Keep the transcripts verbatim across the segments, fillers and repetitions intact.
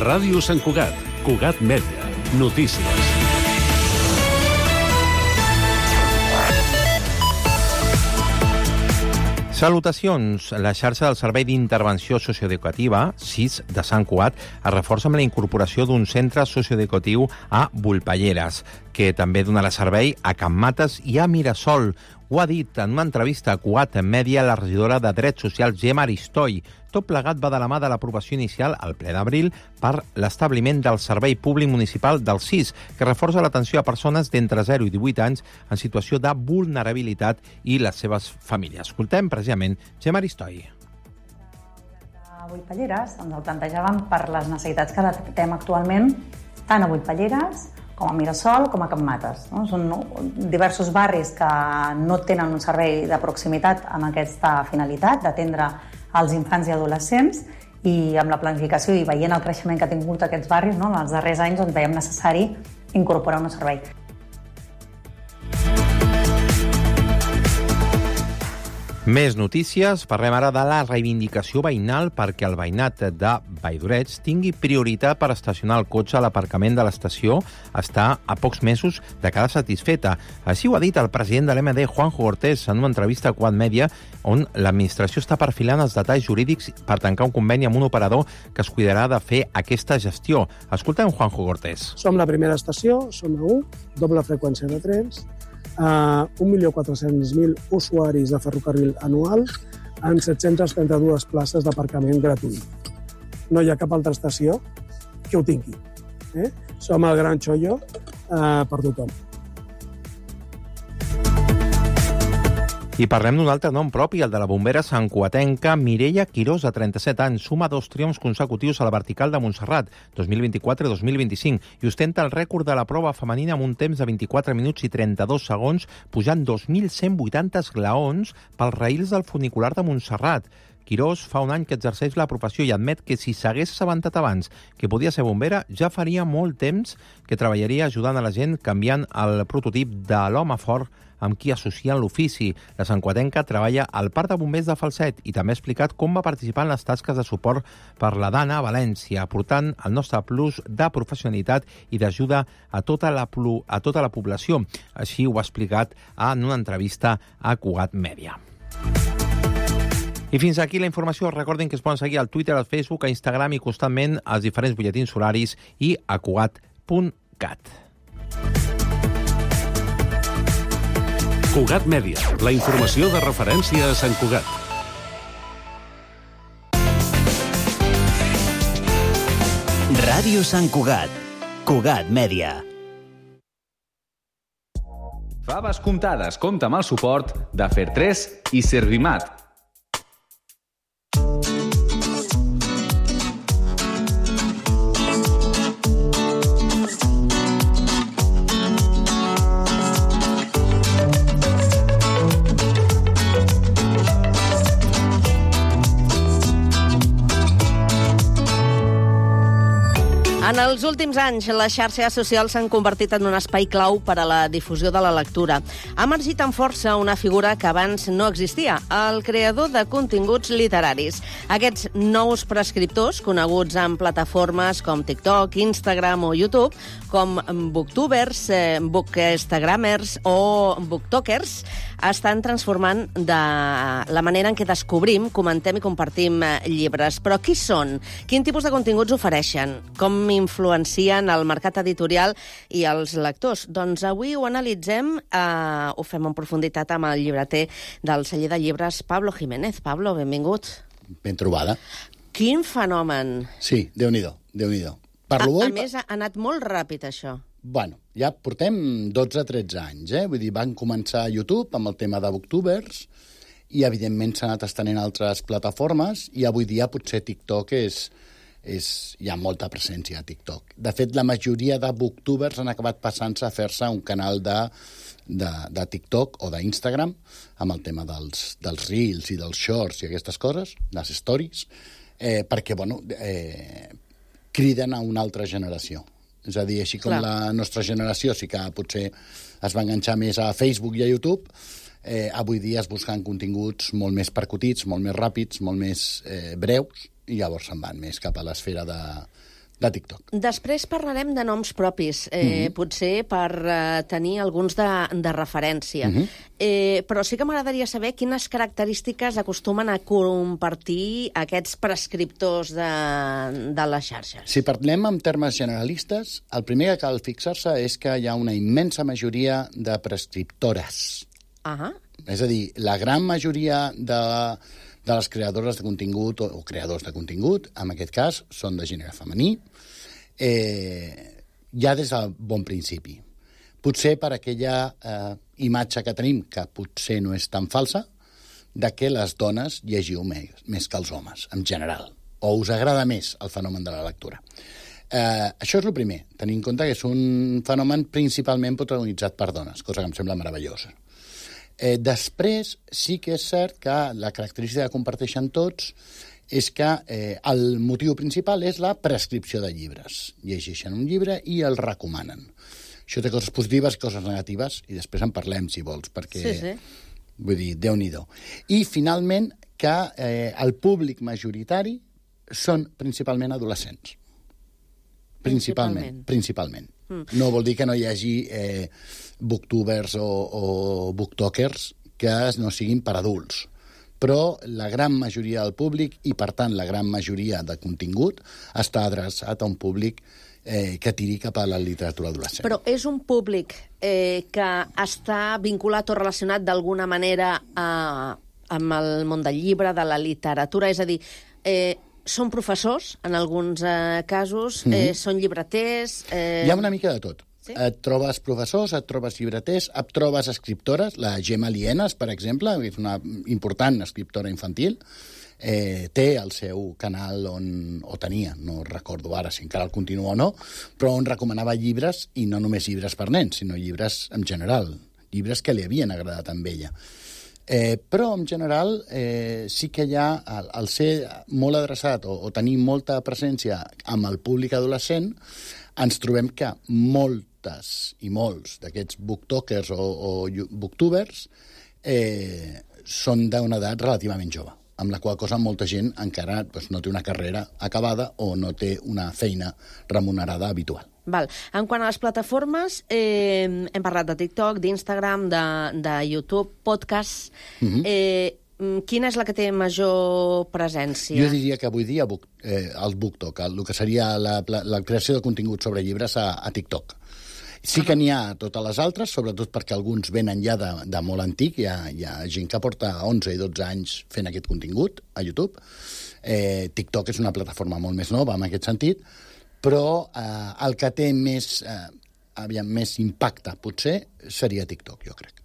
Ràdio Sant Cugat, Cugat Mèdia, notícies. Salutacions. La xarxa del Servei d'Intervenció Socioeducativa, S I S, de Sant Cugat, es reforça amb la incorporació d'un centre socioeducatiu a Volpelleres, que també donarà servei a Can Mates i a Mirasol. Ho ha dit en una entrevista a Cugat Mèdia la regidora de Drets Socials, Gemma Aristoi. Tot plegat va de la mà de l'aprovació inicial al ple d'abril per l'establiment del Servei Públic Municipal del S I S, que reforça l'atenció a persones d'entre zero i divuit anys en situació de vulnerabilitat i les seves famílies. Escoltem precisament Gemma Aristoi. A Volpelleres ens el plantejàvem per les necessitats que detectem actualment tant a Volpelleres com a Mirasol, com a Can Mates. No? Són diversos barris que no tenen un servei de proximitat amb aquesta finalitat d'atendre als infants i adolescents, i amb la planificació i veient el creixement que ha tingut aquests barris, no? En els darrers anys doncs, veiem necessari incorporar un servei. Més notícies. Parlem ara de la reivindicació veïnal perquè el veïnat de Valldoreix tingui prioritat per estacionar el cotxe a l'aparcament de l'estació. Està a pocs mesos de quedar satisfeta. Així ho ha dit el president de l'M D, Juanjo Cortés, en una entrevista a Cugat Mèdia, on l'administració està perfilant els detalls jurídics per tancar un conveni amb un operador que es cuidarà de fer aquesta gestió. Escoltem Juanjo Cortés. Som la primera estació, som a u, doble freqüència de trens, Uh, un milió quatre-cents mil usuaris de ferrocarril anual en set-centes trenta-dues places d'aparcament gratuït. No hi ha cap altra estació que ho tingui. Eh? Som el gran xollo uh, per tothom. I parlem d'un altre nom propi, el de la bombera santcugatenca Mireia Quirós, de trenta-set anys. Suma dos triomfs consecutius a la vertical de Montserrat, dos mil vint-i-quatre i dos mil vint-i-cinc, i ostenta el rècord de la prova femenina amb un temps de vint-i-quatre minuts i trenta-dos segons, pujant dos mil cent vuitanta esglaons pels raïls del funicular de Montserrat. Quirós fa un any que exerceix la professió i admet que si s'hagués assabentat abans que podia ser bombera, ja faria molt temps que treballaria ajudant a la gent canviant el prototip de l'home fort amb qui associen l'ofici. La santcugatenca treballa al Parc de Bombers de Falset i també ha explicat com va participar en les tasques de suport per la Dana a València, aportant el nostre plus de professionalitat i d'ajuda a tota la, a tota la població. Així ho ha explicat en una entrevista a Cugat Mèdia. I fins aquí la informació. Recordin que es poden seguir al Twitter, al Facebook, a Instagram i constantment als diferents butlletins horaris i a cugat punt cat. Cugat Mèdia, la informació de referència a Sant Cugat. Ràdio Sant Cugat, Cugat Mèdia. Faves comptades compta amb el suport de Fertres i Servimat. En els últims anys, les xarxes socials s'han convertit en un espai clau per a la difusió de la lectura. Ha emergit amb força una figura que abans no existia, el creador de continguts literaris. Aquests nous prescriptors, coneguts en plataformes com TikTok, Instagram o YouTube, com booktubers, eh, bookstagrammers o booktokers, estan transformant de la manera en què descobrim, comentem i compartim llibres. Però qui són? Quin tipus de continguts ofereixen? Com influencien el mercat editorial i els lectors? Doncs avui ho analitzem, eh, ho fem en profunditat amb el llibreter del celler de llibres, Pablo Jiménez. Pablo, benvingut. Ben trobada. Quin fenomen. Sí, Déu-n'hi-do, Déu-n'hi-do. Parlo a, a més, ha anat molt ràpid, això. Bueno, ja portem dotze tretze anys, eh? Vull dir, van començar a YouTube amb el tema de booktubers i, evidentment, s'ha anat estenent a altres plataformes i avui dia potser TikTok és... és, hi ha molta presència a TikTok. De fet, la majoria de booktubers han acabat passant-se a fer-se un canal de, de, de TikTok o d'Instagram amb el tema dels, dels reels i dels shorts i aquestes coses, les stories, eh, perquè, bueno, eh, criden a una altra generació. És a dir, així com Clar. La nostra generació sí que potser es va enganxar més a Facebook i a YouTube, eh, avui dia es busquen continguts molt més percutits, molt més ràpids, molt més eh, breus, i llavors se'n van més cap a l'esfera de, de TikTok. Després parlarem de noms propis, eh, mm-hmm. potser per eh, tenir alguns de, de referència. Mm-hmm. eh, però sí que m'agradaria saber quines característiques acostumen a compartir aquests prescriptors de, de les xarxes. Si parlem en termes generalistes, el primer que cal fixar-se és que hi ha una immensa majoria de prescriptores. Ah. És a dir, la gran majoria de... de les creadores de contingut o, o creadors de contingut, en aquest cas, són de gènere femení, eh, ja des del bon principi. Potser per aquella eh, imatge que tenim, que potser no és tan falsa, de que les dones llegiu més, més que els homes, en general, o us agrada més el fenomen de la lectura. Eh, això és el primer, tenint en compte que és un fenomen principalment protagonitzat per dones, cosa que em sembla meravellosa. Eh, després, sí que és cert que la característica que comparteixen tots és que eh, el motiu principal és la prescripció de llibres. Llegeixen un llibre i el recomanen. Això té coses positives i coses negatives, i després en parlem, si vols, perquè, sí, sí. vull dir, Déu-n'hi-do. I, finalment, que eh, el públic majoritari són principalment adolescents. Principalment. Principalment. Mm. No vol dir que no hi hagi eh, booktubers o, o booktokers que no siguin per adults. Però la gran majoria del públic, i per tant la gran majoria de contingut, està adreçat a un públic eh, que tiri cap a la literatura adolescent. Però és un públic eh, que està vinculat o relacionat d'alguna manera a, amb el món del llibre, de la literatura, és a dir... Eh, són professors, en alguns eh, casos, mm-hmm. eh, són llibreters... Eh... Hi ha una mica de tot. Sí? Et trobes professors, et trobes llibreters, et trobes escriptores, la Gemma Lienas, per exemple, que és una important escriptora infantil, eh, té el seu canal on, o tenia, no recordo ara si encara el continua o no, però on recomanava llibres, i no només llibres per nens, sinó llibres en general, llibres que li havien agradat amb ella. Eh, però, en general, eh, sí que hi ha, al, al ser molt adreçat o, o tenir molta presència amb el públic adolescent, ens trobem que moltes i molts d'aquests booktokers o, o booktubers eh, són d'una edat relativament jove, amb la qual cosa molta gent encara doncs, no té una carrera acabada o no té una feina remunerada habitual. Val. En quant a les plataformes, eh, hem parlat de TikTok, d'Instagram, de, de YouTube, podcast... Mm-hmm. eh, quina és la que té major presència? Jo diria que avui dia book, eh, el BookTok, el, el que seria la, la, la creació de contingut sobre llibres a, a TikTok. Sí que n'hi ha totes les altres, sobretot perquè alguns venen ja de, de molt antic, hi ha, hi ha gent que porta onze i dotze anys fent aquest contingut a YouTube. Eh, TikTok és una plataforma molt més nova en aquest sentit, però eh, el que té més, eh, aviam, més impacte, potser, seria TikTok, jo crec.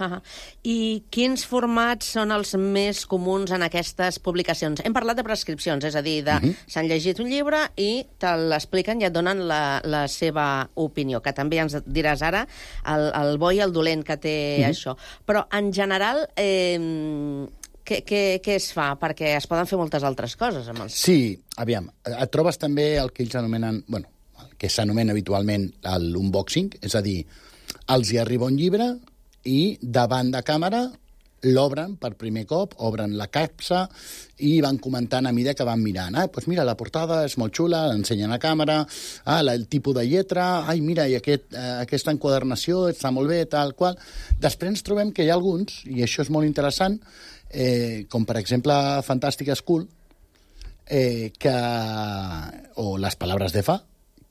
Uh-huh. I quins formats són els més comuns en aquestes publicacions? Hem parlat de prescripcions, és a dir, de uh-huh. s'han llegit un llibre i te l'expliquen i et donen la, la seva opinió, que també ens diràs ara el, el bo i el dolent que té uh-huh. això. Però, en general... Eh, Què, què, què es fa? Perquè es poden fer moltes altres coses amb els... Sí, aviam, et trobes també el que ells anomenen, bueno, el que s'anomena habitualment l'unboxing, és a dir, els hi arriba un llibre i davant de càmera l'obren per primer cop, obren la capsa i van comentant a mesura que van mirant. Ah, doncs mira, la portada és molt xula, l'ensenyen a càmera, ah, el tipus de lletra, ai, mira, i aquest, eh, aquesta enquadernació està molt bé, tal qual. Després ens trobem que hi ha alguns, i això és molt interessant, Eh, com per exemple Fantastic School, eh, que, o Les Palabres de Fa,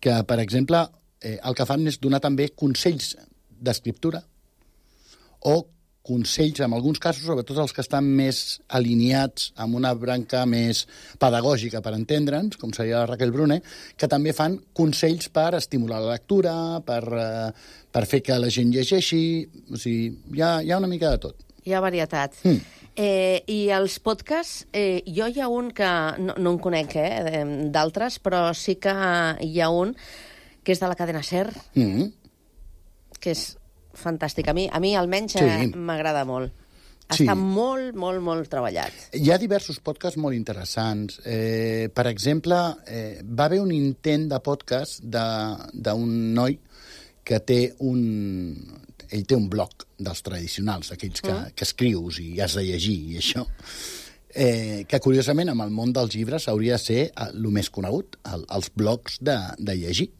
que per exemple eh, el que fan és donar també consells d'escriptura o consells, en alguns casos, sobretot els que estan més alineats amb una branca més pedagògica, per entendre'ns, com seria la Raquel Brune, que també fan consells per estimular la lectura, per, eh, per fer que la gent llegeixi, o sigui, hi ha, hi ha una mica de tot. Hi ha varietat. Mm. Eh, I els podcasts, eh, jo hi ha un que no, no en conec, eh, d'altres, però sí que hi ha un que és de la cadena SER, mm. que és fantàstic. A mi, a mi almenys, sí. eh, m'agrada molt. Està sí. molt, molt, molt treballat. Hi ha diversos podcasts molt interessants. Eh, per exemple, eh, va haver un intent de podcast d'un noi que té un... Ell té un blog dels tradicionals, aquells que, mm. que escrius i has de llegir i això. eh, que curiosament amb el món dels llibres hauria de ser el més conegut, el, els blogs de, de llegir,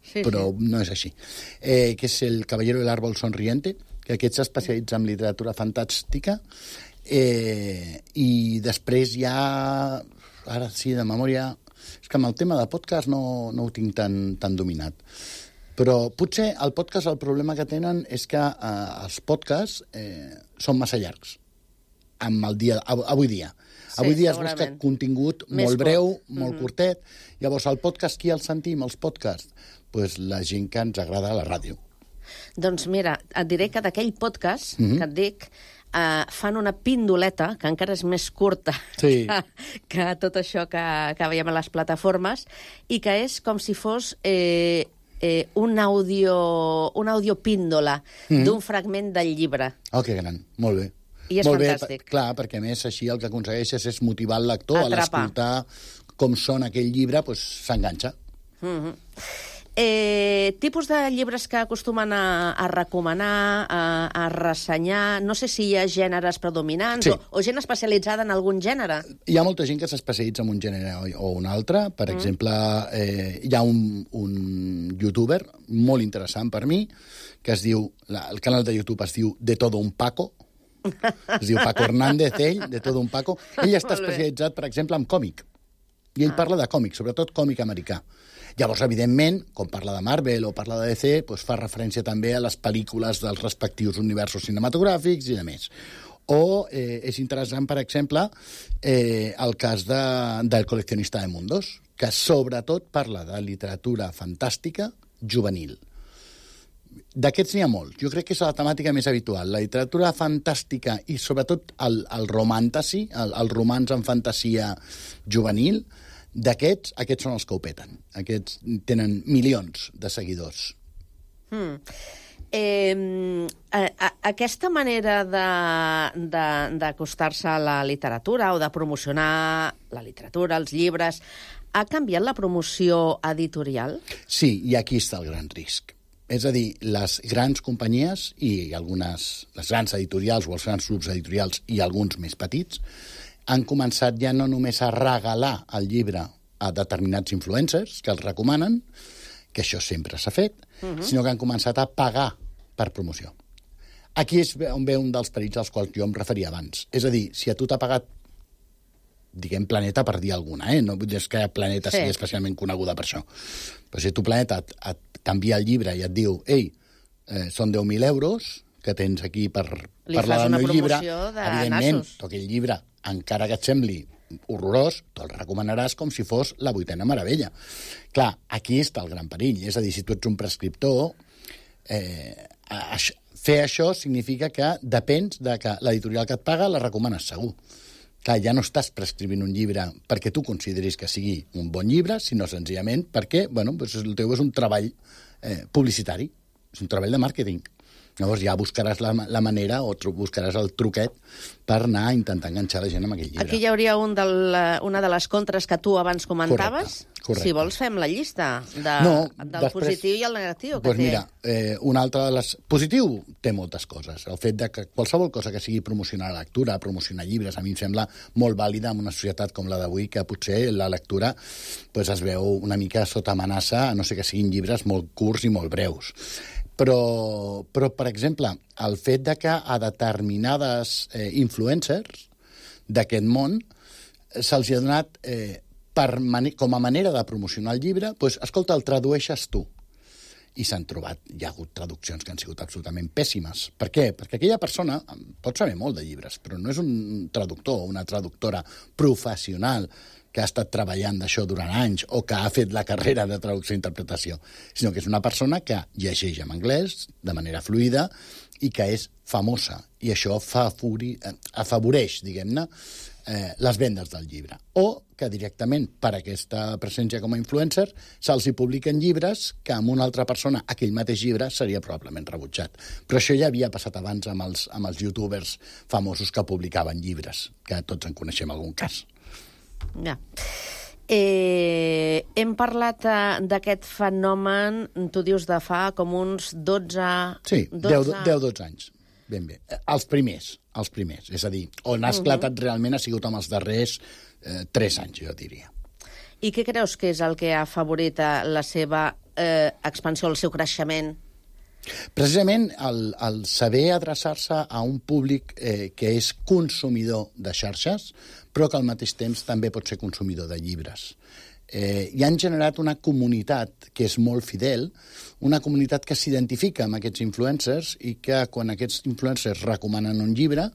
sí, però sí. No és així. Eh, que és el Caballero del Árbol Sonriente, que aquest s'especialitza en literatura fantàstica, eh, i després ja, ara sí, de memòria, és que amb el tema de podcast no, no ho tinc tan, tan dominat. Però potser el podcast, el problema que tenen és que eh, els podcasts eh, són massa llargs amb el dia, avui dia. Sí, avui dia es busca contingut Més molt breu, curt. molt mm-hmm. curtet. Llavors, el podcast, qui el sentim, els podcasts? Pues la gent que ens agrada a la ràdio. Doncs mira, et diré que d'aquell podcast mm-hmm. que et dic, Uh, fan una pindoleta, que encara és més curta sí. que, que tot això que, que veiem a les plataformes, i que és com si fos eh, eh, un audio, un audio píndola mm-hmm. d'un fragment del llibre. Oh, que gran, molt bé. I és molt fantàstic. Bé, clar, perquè a més així el que aconsegueixes és motivar el lector a l'escoltar com sona aquell llibre, doncs s'enganxa. Mm-hmm. Eh, tipus de llibres que acostumen a, a recomanar, a, a ressenyar, no sé si hi ha gèneres predominants sí. o, o gent especialitzada en algun gènere. Hi ha molta gent que s'especialitza en un gènere o, o un altre. Per mm. exemple, eh, hi ha un, un youtuber molt interessant per mi, que es diu, la, el canal de YouTube es diu De Todo un Paco, es diu Paco Hernández, ell, De Todo un Paco. Ell està especialitzat, per exemple, en còmic. I ell ah. parla de còmic, sobretot còmic americà. Llavors, evidentment, com parla de Marvel o parla de D C, doncs fa referència també a les pel·lícules dels respectius universos cinematogràfics i de més. O eh, és interessant, per exemple, eh, el cas de, del Coleccionista de Mundos, que sobretot parla de literatura fantàstica juvenil. D'aquests n'hi ha molts. Jo crec que és la temàtica més habitual. La literatura fantàstica i, sobretot, el, el romàntasi, el, el romans en fantasia juvenil, d'aquests, aquests són els que ho peten. Aquests tenen milions de seguidors. Hmm. Eh, a, a, aquesta manera d'acostar-se a la literatura o de promocionar la literatura, els llibres, ha canviat la promoció editorial? Sí, i aquí està el gran risc. És a dir, les grans companyies i algunes, les grans editorials o els grans grups editorials i alguns més petits han començat ja no només a regalar el llibre a determinats influencers que els recomanen, que això sempre s'ha fet, uh-huh. sinó que han començat a pagar per promoció. Aquí és on ve un dels perills als quals jo em referia abans. És a dir, si a tu t'ha pagat, diguem Planeta per dir alguna, eh? No vull dir que Planeta sí. sigui especialment coneguda per això. Però si tu Planeta et, et canvia el llibre i et diu ei, eh, són deu mil euros que tens aquí per Li parlar del meu llibre, de evidentment, nassos. tu aquell llibre, encara que et sembli horrorós, te'l recomanaràs com si fos la vuitena meravella. Clar, aquí està el gran perill. És a dir, si tu ets un prescriptor, eh, això, fer això significa que depens de que l'editorial que et paga la recomanes segur. Clar, ja no estàs prescrivint un llibre perquè tu consideris que sigui un bon llibre, sinó senzillament perquè, bueno, doncs el teu és un treball eh, publicitari, és un treball de màrqueting. Llavors ja buscaràs la, la manera o buscaràs el truquet per anar a intentar enganxar la gent amb aquell llibre. Aquí hi hauria un del, una de les contres que tu abans comentaves. Correcte, correcte. Si vols fem la llista de, no, del després, positiu i el negatiu. Doncs que té. mira, eh, una altra de les... Positiu té moltes coses. El fet de que qualsevol cosa que sigui promocionar la lectura, promocionar llibres, a mi em sembla molt vàlida en una societat com la d'avui, que potser la lectura pues, es veu una mica sota amenaça, a no ser que siguin llibres molt curts i molt breus. Però, però, per exemple, el fet de que a determinades eh, influencers d'aquest món se'ls ha donat, eh, per com a manera de promocionar el llibre, doncs, escolta, el tradueixes tu. I s'han trobat, hi ha hagut traduccions que han sigut absolutament pèssimes. Per què? Perquè aquella persona pot saber molt de llibres, però no és un traductor o una traductora professional que ha estat treballant d'això durant anys o que ha fet la carrera de traducció i interpretació, sinó que és una persona que llegeix en anglès de manera fluida i que és famosa. I això favori, afavoreix, diguem-ne, eh, les vendes del llibre. O que directament, per aquesta presència com a influencer, se'ls hi publiquen llibres que amb una altra persona, aquell mateix llibre, seria probablement rebutjat. Però això ja havia passat abans amb els, amb els youtubers famosos que publicaven llibres, que tots en coneixem algun cas. Ja. Eh, hem parlat uh, d'aquest fenomen, tu dius, de fa com uns dotze... Sí, deu dotze anys. ben bé. Els primers, els primers. És a dir, on ha esclatat uh-huh. realment ha sigut amb els darrers eh, tres anys, jo diria. I què creus que és el que ha afavorit la seva eh, expansió, el seu creixement? Precisament el, el saber adreçar-se a un públic eh, que és consumidor de xarxes, però que al mateix temps també pot ser consumidor de llibres. Eh, i han generat una comunitat que és molt fidel, una comunitat que s'identifica amb aquests influencers i que quan aquests influencers recomanen un llibre,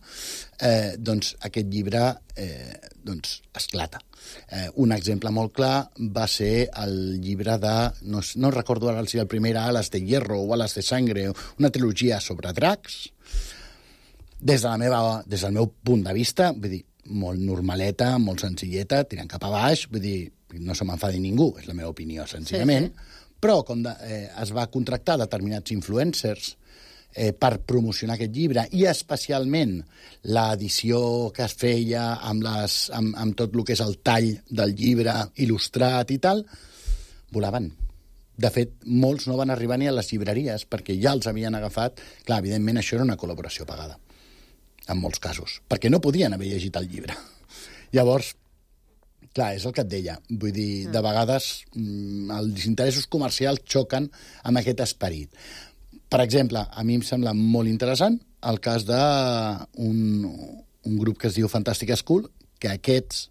eh, doncs aquest llibre eh, doncs esclata. Eh, un exemple molt clar va ser el llibre de, no, no recordo ara si el primer era Alas de Hierro o Alas de Sangre, una trilogia sobre dracs. Des, de la meva, des del meu punt de vista, vull dir, molt normaleta, molt senzilleta, tirant cap a baix, vull dir, no se m'enfadi ningú, és la meva opinió, senzillament, sí, sí. Però com de, eh, es va contractar determinats influencers eh, per promocionar aquest llibre, i especialment l'edició que es feia amb, les, amb, amb tot el que és el tall del llibre il·lustrat i tal, volaven. De fet, molts no van arribar ni a les llibreries perquè ja els havien agafat. Clar, evidentment, això era una col·laboració pagada, en molts casos, perquè no podien haver llegit el llibre. Llavors, clar, és el que et deia. Vull dir, de vegades els interessos comercials xoquen amb aquest esperit. Per exemple, a mi em sembla molt interessant el cas d'un un grup que es diu Fantastic School, que aquests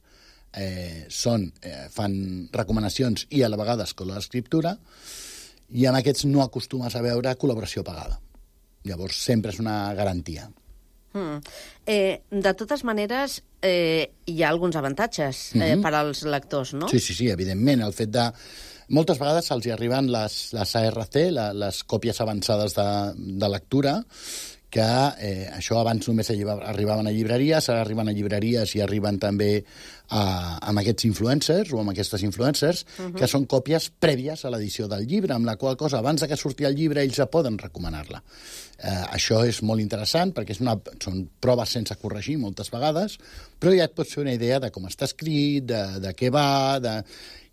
eh, són, eh, fan recomanacions i a la vegada escola d'escriptura, i amb aquests no acostumes a veure col·laboració pagada. Llavors, sempre és una garantia. Mm. Eh, de totes maneres, eh, hi ha alguns avantatges eh, mm-hmm. per als lectors, no? Sí, sí, sí, evidentment. El fet de... Moltes vegades se'ls arriben les, les A R C, la, les còpies avançades de, de lectura, que eh, això abans només arribaven a llibreries, ara arriben a llibreries i arriben també a, amb aquests influencers o amb aquestes influencers, uh-huh. que són còpies prèvies a l'edició del llibre, amb la qual cosa, abans de que surti el llibre, ells ja poden recomanar-la. Eh, això és molt interessant perquè és una, són proves sense corregir moltes vegades, però ja et pots fer una idea de com està escrit, de, de què va, de...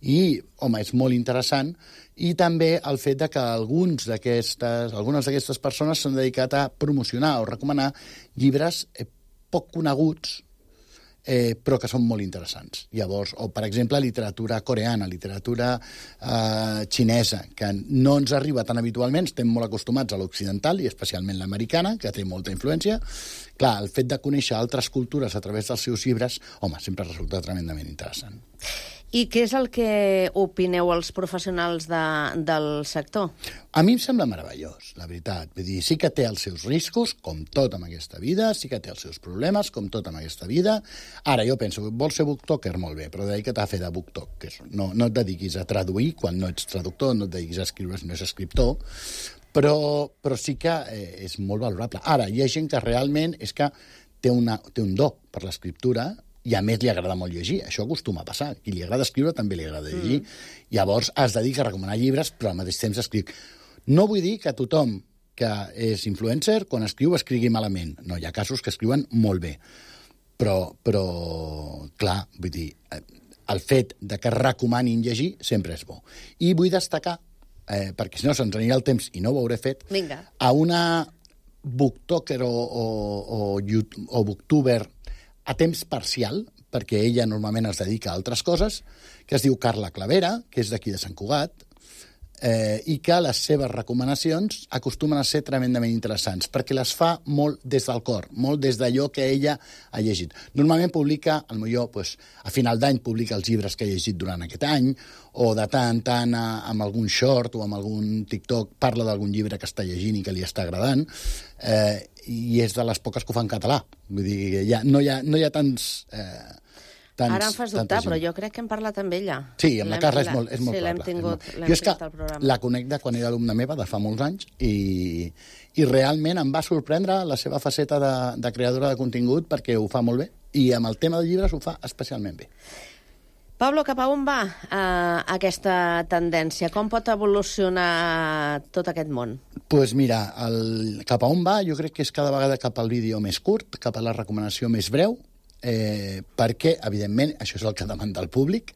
i, home, és molt interessant. I també el fet de que alguns d'aquestes, algunes d'aquestes persones s'han dedicat a promocionar o recomanar llibres eh, poc coneguts, eh, però que són molt interessants. Llavors, o, per exemple, literatura coreana, literatura eh, xinesa, que no ens arriba tan habitualment, estem molt acostumats a l'occidental, i especialment l'americana, que té molta influència. Clar, el fet de conèixer altres cultures a través dels seus llibres, home, sempre resulta tremendament interessant. I què és el que opineu els professionals de, del sector? A mi em sembla meravellós, la veritat. Vull dir, sí que té els seus riscos, com tot en aquesta vida, sí que té els seus problemes, com tot en aquesta vida. Ara, jo penso, vols ser booktoker? Molt bé, però dedica't a fer de booktok, que és, no, no et dediquis a traduir quan no ets traductor, no et dediquis a escriure si no ets escriptor, però, però sí que eh, és molt valorable. Ara, hi ha gent que realment és que té, una, té un do per l'escriptura, i a més li agrada molt llegir. Això acostuma a passar. Qui li agrada escriure també li agrada llegir. Mm. Llavors es dedica a recomanar llibres, però al mateix temps escriu. No vull dir que tothom que és influencer, quan escriu, escrigui malament. No, hi ha casos que escriuen molt bé. Però, però clar, vull dir, el fet de que recomanin llegir sempre és bo. I vull destacar, eh, perquè si no se'ns anirà el temps i no ho hauré fet, Vinga. A una booktoker o, o, o, o booktuber a temps parcial, perquè ella normalment es dedica a altres coses, que es diu Carla Clavera, que és d'aquí de Sant Cugat, eh, i que les seves recomanacions acostumen a ser tremendament interessants, perquè les fa molt des del cor, molt des d'allò que ella ha llegit. Normalment publica, potser pues, a final d'any publica els llibres que ha llegit durant aquest any, o de tant en tant amb algun short o amb algun TikTok parla d'algun llibre que està llegint i que li està agradant, eh, i és de les poques que ho fa en català. Vull dir, ja, no, hi ha, no hi ha tants... Eh, tants Ara em fas dubtar, però jo crec que hem parlat amb ella. Sí, amb la Carla és molt, és molt sí, l'hem probable. tingut, molt... l'hem Jo és que tingut al programa. la conec de quan era alumna meva, de fa molts anys, i, i realment em va sorprendre la seva faceta de, de creadora de contingut, perquè ho fa molt bé, i amb el tema de llibres ho fa especialment bé. Pablo, cap a on va eh, aquesta tendència? Com pot evolucionar tot aquest món? Doncs pues mira, el, cap a on va jo crec que és cada vegada cap al vídeo més curt, cap a la recomanació més breu, eh, perquè, evidentment, això és el que demanda el públic,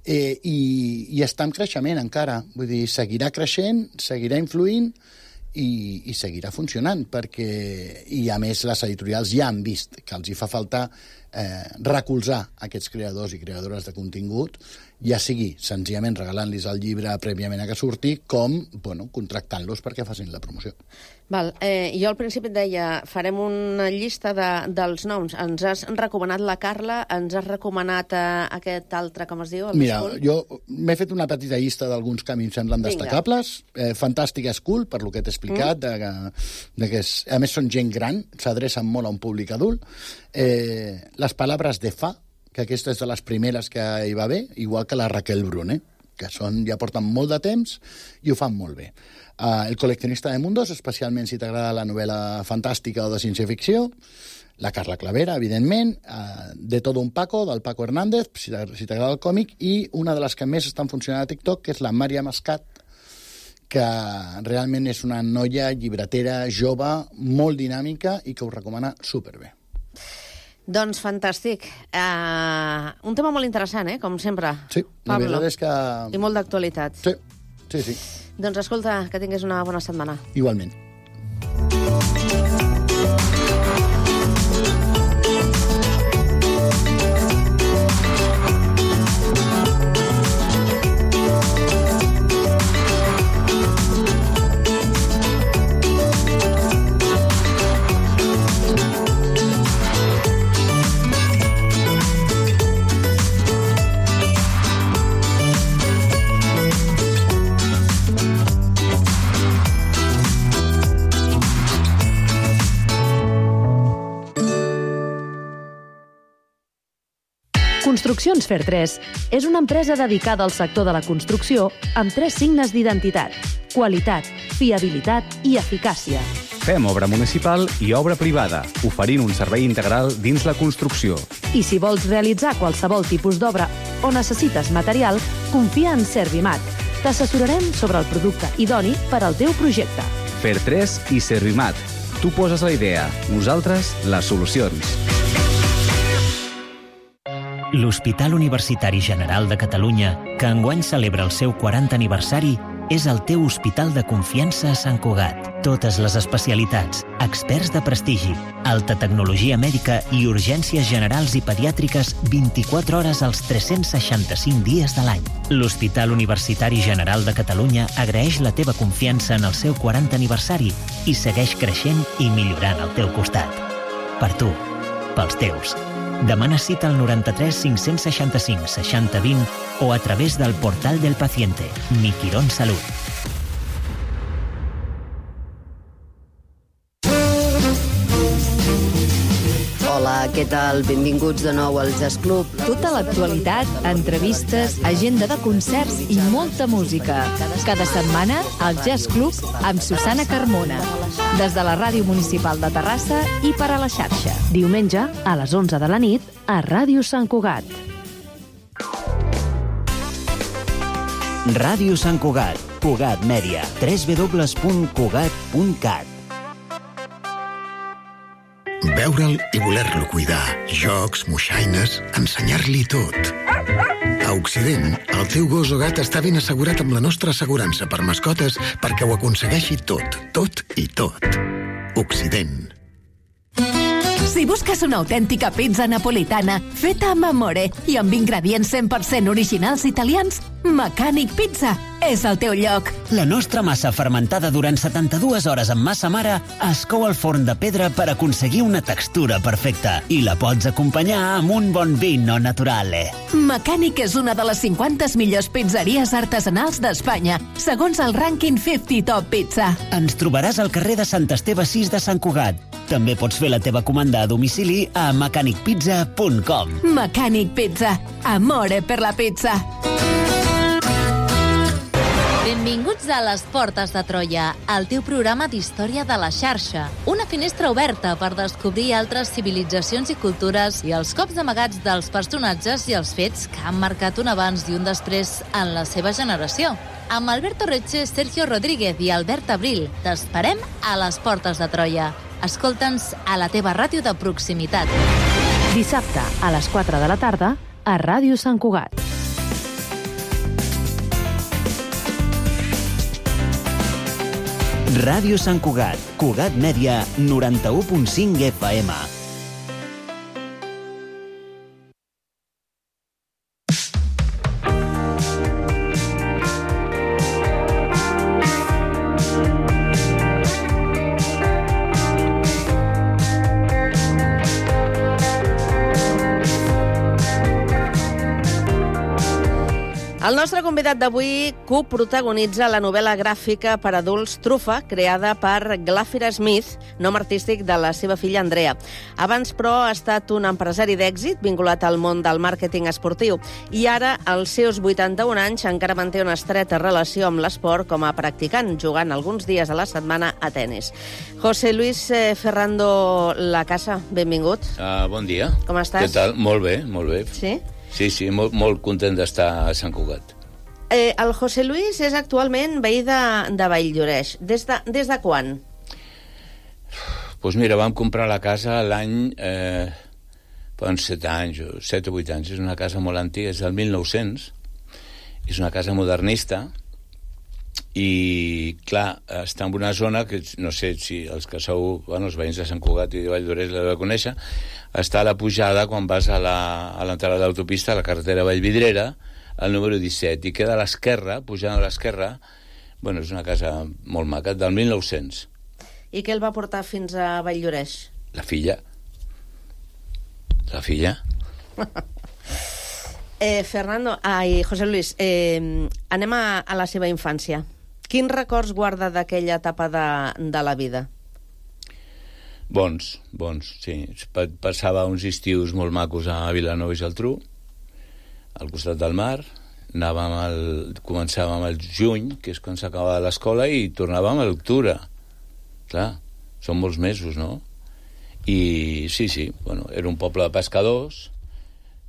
eh, i, i està en creixement encara. Vull dir, seguirà creixent, seguirà influint, i, i seguirà funcionant, perquè, i a més les editorials ja han vist que els hi fa falta eh, recolzar aquests creadors i creadores de contingut, ja sigui senzillament regalant-los el llibre prèviament a que surti, com bueno, contractant-los perquè facin la promoció. Val, eh, jo al principi et deia, farem una llista de, dels noms. Ens has recomanat la Carla, ens has recomanat eh, aquest altre, com es diu? El Mira, School? jo m'he fet una petita llista d'alguns que a mi em semblen Vinga. destacables. Eh, Fantàstica School, per lo que t'he explicat, mm. de, que, de que és, a més són gent gran, s'adrecen molt a un públic adult. Eh, les Palabras de Fa, que aquesta és de les primeres que hi va haver, igual que la Raquel Bruné, que són, ja porten molt de temps i ho fan molt bé. Uh, el Coleccionista de Mundos, especialment si t'agrada la novel·la fantàstica o de ciència-ficció. La Carla Clavera, evidentment. Uh, de Todo un Paco, del Paco Hernández, si t'agrada el còmic. I una de les que més estan funcionant a TikTok, que és la Mària Mascat, que realment és una noia llibretera jove, molt dinàmica i que us recomana superbé. Doncs fantàstic. Uh, un tema molt interessant, eh? Com sempre. Sí, la Pablo. veritat és que... I molt d'actualitat. Sí, sí, sí. Doncs escolta, que tinguis una bona setmana. Igualment. Construccions Fer tres és una empresa dedicada al sector de la construcció amb tres signes d'identitat: qualitat, fiabilitat i eficàcia. Fem obra municipal i obra privada, oferint un servei integral dins la construcció. I si vols realitzar qualsevol tipus d'obra o necessites material, confia en Servimat. T'assessorarem sobre el producte idoni per al teu projecte. Fer tres i Servimat. Tu poses la idea, nosaltres les solucions. L'Hospital Universitari General de Catalunya, que enguany celebra el seu quaranta aniversari, és el teu hospital de confiança a Sant Cugat. Totes les especialitats, experts de prestigi, alta tecnologia mèdica i urgències generals i pediàtriques vint-i-quatre hores als tres-cents seixanta-cinc dies de l'any. L'Hospital Universitari General de Catalunya agraeix la teva confiança en el seu quaranta aniversari i segueix creixent i millorant al teu costat. Per tu, pels teus. Demana cita al noranta-tres cinc-cents seixanta-cinc seixanta vint o a través del portal del paciente. Mi Quirón Salut. Hola, què tal? Benvinguts de nou al Jazz Club. Tota l'actualitat, entrevistes, agenda de concerts i molta música. Cada setmana, al Jazz Club amb Susana Carmona. Des de la Ràdio Municipal de Terrassa i per a la xarxa. Diumenge, a les onze de la nit, a Ràdio Sant Cugat. Ràdio Sant Cugat. Cugat Mèdia. w w w punt cugat punt cat. Veure'l i voler-lo cuidar. Jocs, moixaines, ensenyar-li tot. A Occident, el teu gos o gat està ben assegurat amb la nostra assegurança per mascotes perquè ho aconsegueixi tot, tot i tot. Occident. Si busques una autèntica pizza napolitana feta amb amore i amb ingredients cent per cent originals italians, Mecànic Pizza és el teu lloc. La nostra massa fermentada durant setanta-dues hores amb massa mare es cou al forn de pedra per aconseguir una textura perfecta i la pots acompanyar amb un bon vino naturale. Mecànic és una de les cinquanta millors pizzeries artesanals d'Espanya, segons el rànquing cinquanta Top Pizza. Ens trobaràs al carrer de Sant Esteve sis de Sant Cugat. També pots fer la teva comanda a domicili a mecànic pizza punt com. Mecànic Pizza. Amore per la pizza. Benvinguts a Les Portes de Troia, el teu programa d'història de la xarxa. Una finestra oberta per descobrir altres civilitzacions i cultures i els cops amagats dels personatges i els fets que han marcat un abans i un després en la seva generació. Amb Alberto Reche, Sergio Rodríguez i Albert Abril, t'esperem a Les Portes de Troia. Escolta'ns a la teva ràdio de proximitat. Dissabte, a les quatre de la tarda, a Ràdio Sant Cugat. Ràdio Sant Cugat, Cugat Mèdia, noranta-u punt cinc F M. El nostre convidat d'avui coprotagonitza la novel·la gràfica per adults Trufa, creada per Glàfira Smith, nom artístic de la seva filla Andrea. Abans, però, ha estat un empresari d'èxit vinculat al món del màrqueting esportiu i ara, als seus vuitanta-un anys, encara manté una estreta relació amb l'esport com a practicant, jugant alguns dies a la setmana a tennis. José Luis eh, Ferrando Lacasa, benvingut. Uh, bon dia. Com estàs? Què tal? Molt bé, molt bé. Sí? Sí, sí, molt, molt content d'estar a Sant Cugat. Eh, el José Luis és actualment veí de, de Valldoreix. Des de, des de quan? Doncs pues mira, vam comprar la casa l'any... Eh, fa uns set anys, o set o vuit anys. És una casa molt antiga, és del mil nou-cents. És una casa modernista. I, clar, està en una zona que, no sé si els que sou, bueno, els veïns de Sant Cugat i de Valldoreix la de conèixer, està a la pujada quan vas a l'entrada de l'autopista, a la carretera Vallvidrera, al número disset, i queda a l'esquerra, pujant a l'esquerra. Bueno, és una casa molt maca, del mil nou-cents. I què el va portar fins a Valldoreix? La filla. La filla. eh, Fernando, ai, José Luis, eh, anem a, a la seva infància. Quins records guarda d'aquella etapa de, de la vida? Bons, bons, sí. Passava uns estius molt macos a Vilanova i Geltrú, al costat del mar. Anàvem al, començàvem al juny, que és quan s'acabava l'escola, i tornàvem a l'octubre. Clar, són molts mesos, no? I sí, sí, bueno, era un poble de pescadors,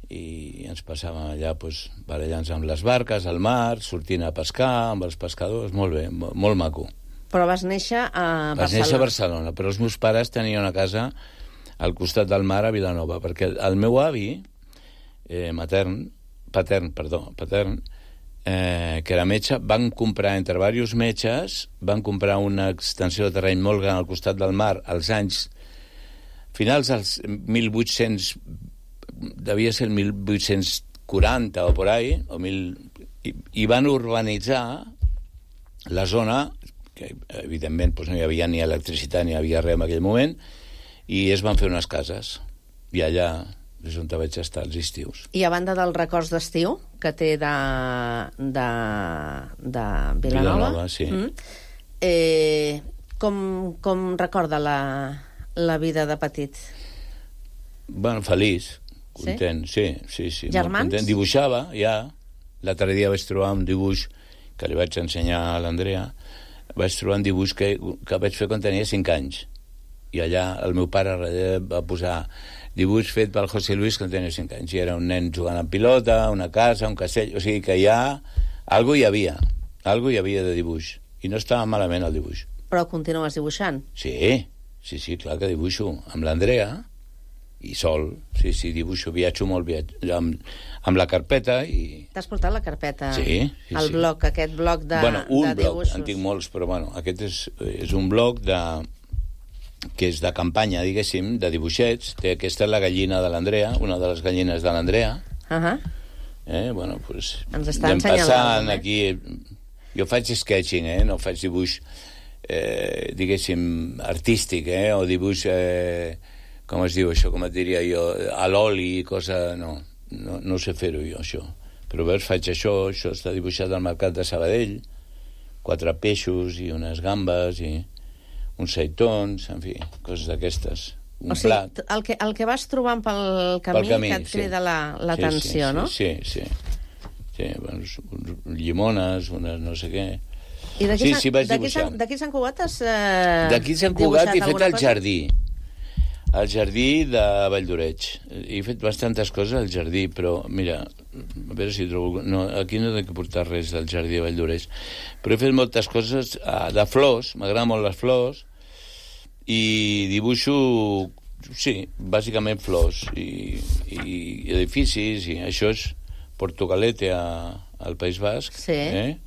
i ens passàvem allà, pues, barallant-nos amb les barques, al mar, sortint a pescar amb els pescadors, molt bé, molt maco. Però vas néixer a Barcelona. Vas néixer a Barcelona, però els meus pares tenien una casa al costat del mar a Vilanova, perquè el meu avi, eh, matern, patern, perdó, patern, eh, que era metge, van comprar, entre diversos metges, van comprar una extensió de terreny molt gran al costat del mar als anys finals dels mil vuit-cents, devia ser el mil vuit-cents quaranta o por ahí, o mil, i, i van urbanitzar la zona, que evidentment doncs, no hi havia ni electricitat ni hi havia res en aquell moment, i es van fer unes cases, i allà és on vaig estar els estius. I a banda dels records d'estiu que té de, de, de Vilanova, Vilanova sí. mm, eh, com, com recorda la, la vida de petit? Bueno, feliç, content, sí, sí, sí. Germans? Content. Dibuixava, ja. L'altre dia vaig trobar un dibuix que li vaig ensenyar a l'Andrea. Vaig trobar un dibuix que, que vaig fer quan tenia cinc anys. I allà el meu pare va posar dibuix fet pel José Luis quan tenia cinc anys. I era un nen jugant amb pilota, una casa, un castell... O sigui que ja... Algo hi havia. Algo hi havia de dibuix. I no estava malament el dibuix. Però continues dibuixant? Sí, sí, sí, clar que dibuixo. Amb l'Andrea... i sol, sí, sí, dibuixo, viatjo molt viatjo, amb, amb la carpeta i... T'has portat la carpeta? Sí, sí, el sí. bloc, aquest bloc de, bueno, un de bloc, dibuixos. en tinc molts, però bueno, aquest és, és un bloc de, que és de campanya, diguéssim, de dibuixets. Té, aquesta és la gallina de l'Andrea, una de les gallines de l'Andrea. Uh -huh. eh, bueno, pues, ens està ensenyant passant aquí... Jo faig sketching, eh, no faig dibuix, eh, diguéssim, artístic, eh, o dibuix... Eh, com es diu això, com et diria jo, a l'oli, cosa... No, no, no sé fer-ho jo, això. Però veus, faig això, això està dibuixat al mercat de Sabadell, quatre peixos i unes gambes i uns seitons, en fi, coses d'aquestes. Un o sigui, plat. El que, el que vas trobant pel camí, pel camí que et crida sí. l'atenció, sí, sí, no? Sí, sí, sí. sí uns, uns llimones, unes no sé què... I d'aquí sí, sí, vaig dibuixar. D'aquí Sant Cugat has eh, D'aquí Sant Cugat he fet el cosa? jardí. El jardí de Valldoreix. He fet bastantes coses al jardí, però, mira, a veure si trobo... No, aquí no he de portar res del jardí de Valldoreix. Però he fet moltes coses uh, de flors, m'agraden molt les flors, i dibuixo, sí, bàsicament flors, i, i edificis, i això és Portugalete a, al País Basc. Sí. Eh?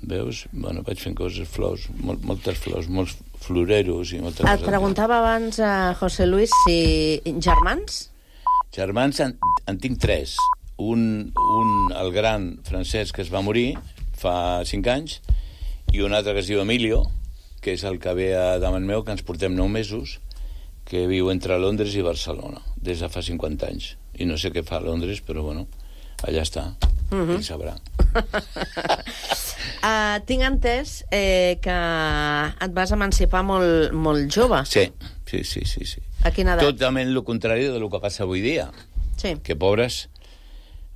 veus? Bueno, vaig fent coses, flors, mol, moltes flors, molts floreros i moltes Et coses. preguntava abans a José Luis si germans? Germans en, en tinc tres. Un, un, el gran francès que es va morir fa cinc anys, i un altre que es diu Emilio, que és el que ve a davant meu, que ens portem nou mesos, que viu entre Londres i Barcelona, des de fa cinquanta anys. I no sé què fa a Londres, però bueno, allà està. Mhm. Qui sabrà. Uh, tinc entès eh, que et vas emancipar molt, molt jove. Sí, sí, sí, sí, sí. A quina edat? Totalment el contrari del que passa avui dia. Sí. Que pobres,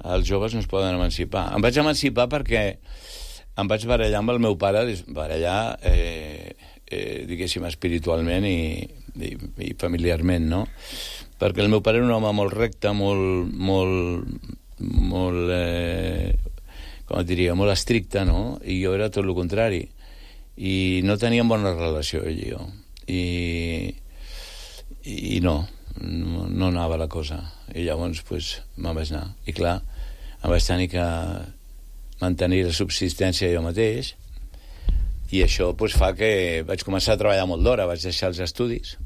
els joves no es poden emancipar. Em vaig emancipar perquè em vaig barallar amb el meu pare, barallar, eh, eh, diguéssim, espiritualment i, i, i familiarment, no? Perquè el meu pare era un home molt recte, molt, molt, molt, eh, com et diria, molt estricte, no? I jo era tot el contrari. I no teníem bona relació, ell i jo. I, i no, no, no anava la cosa. I llavors, pues, me'n vaig anar. I clar, em vaig tenir que mantenir la subsistència jo mateix, i això pues, fa que vaig començar a treballar molt d'hora, vaig deixar els estudis,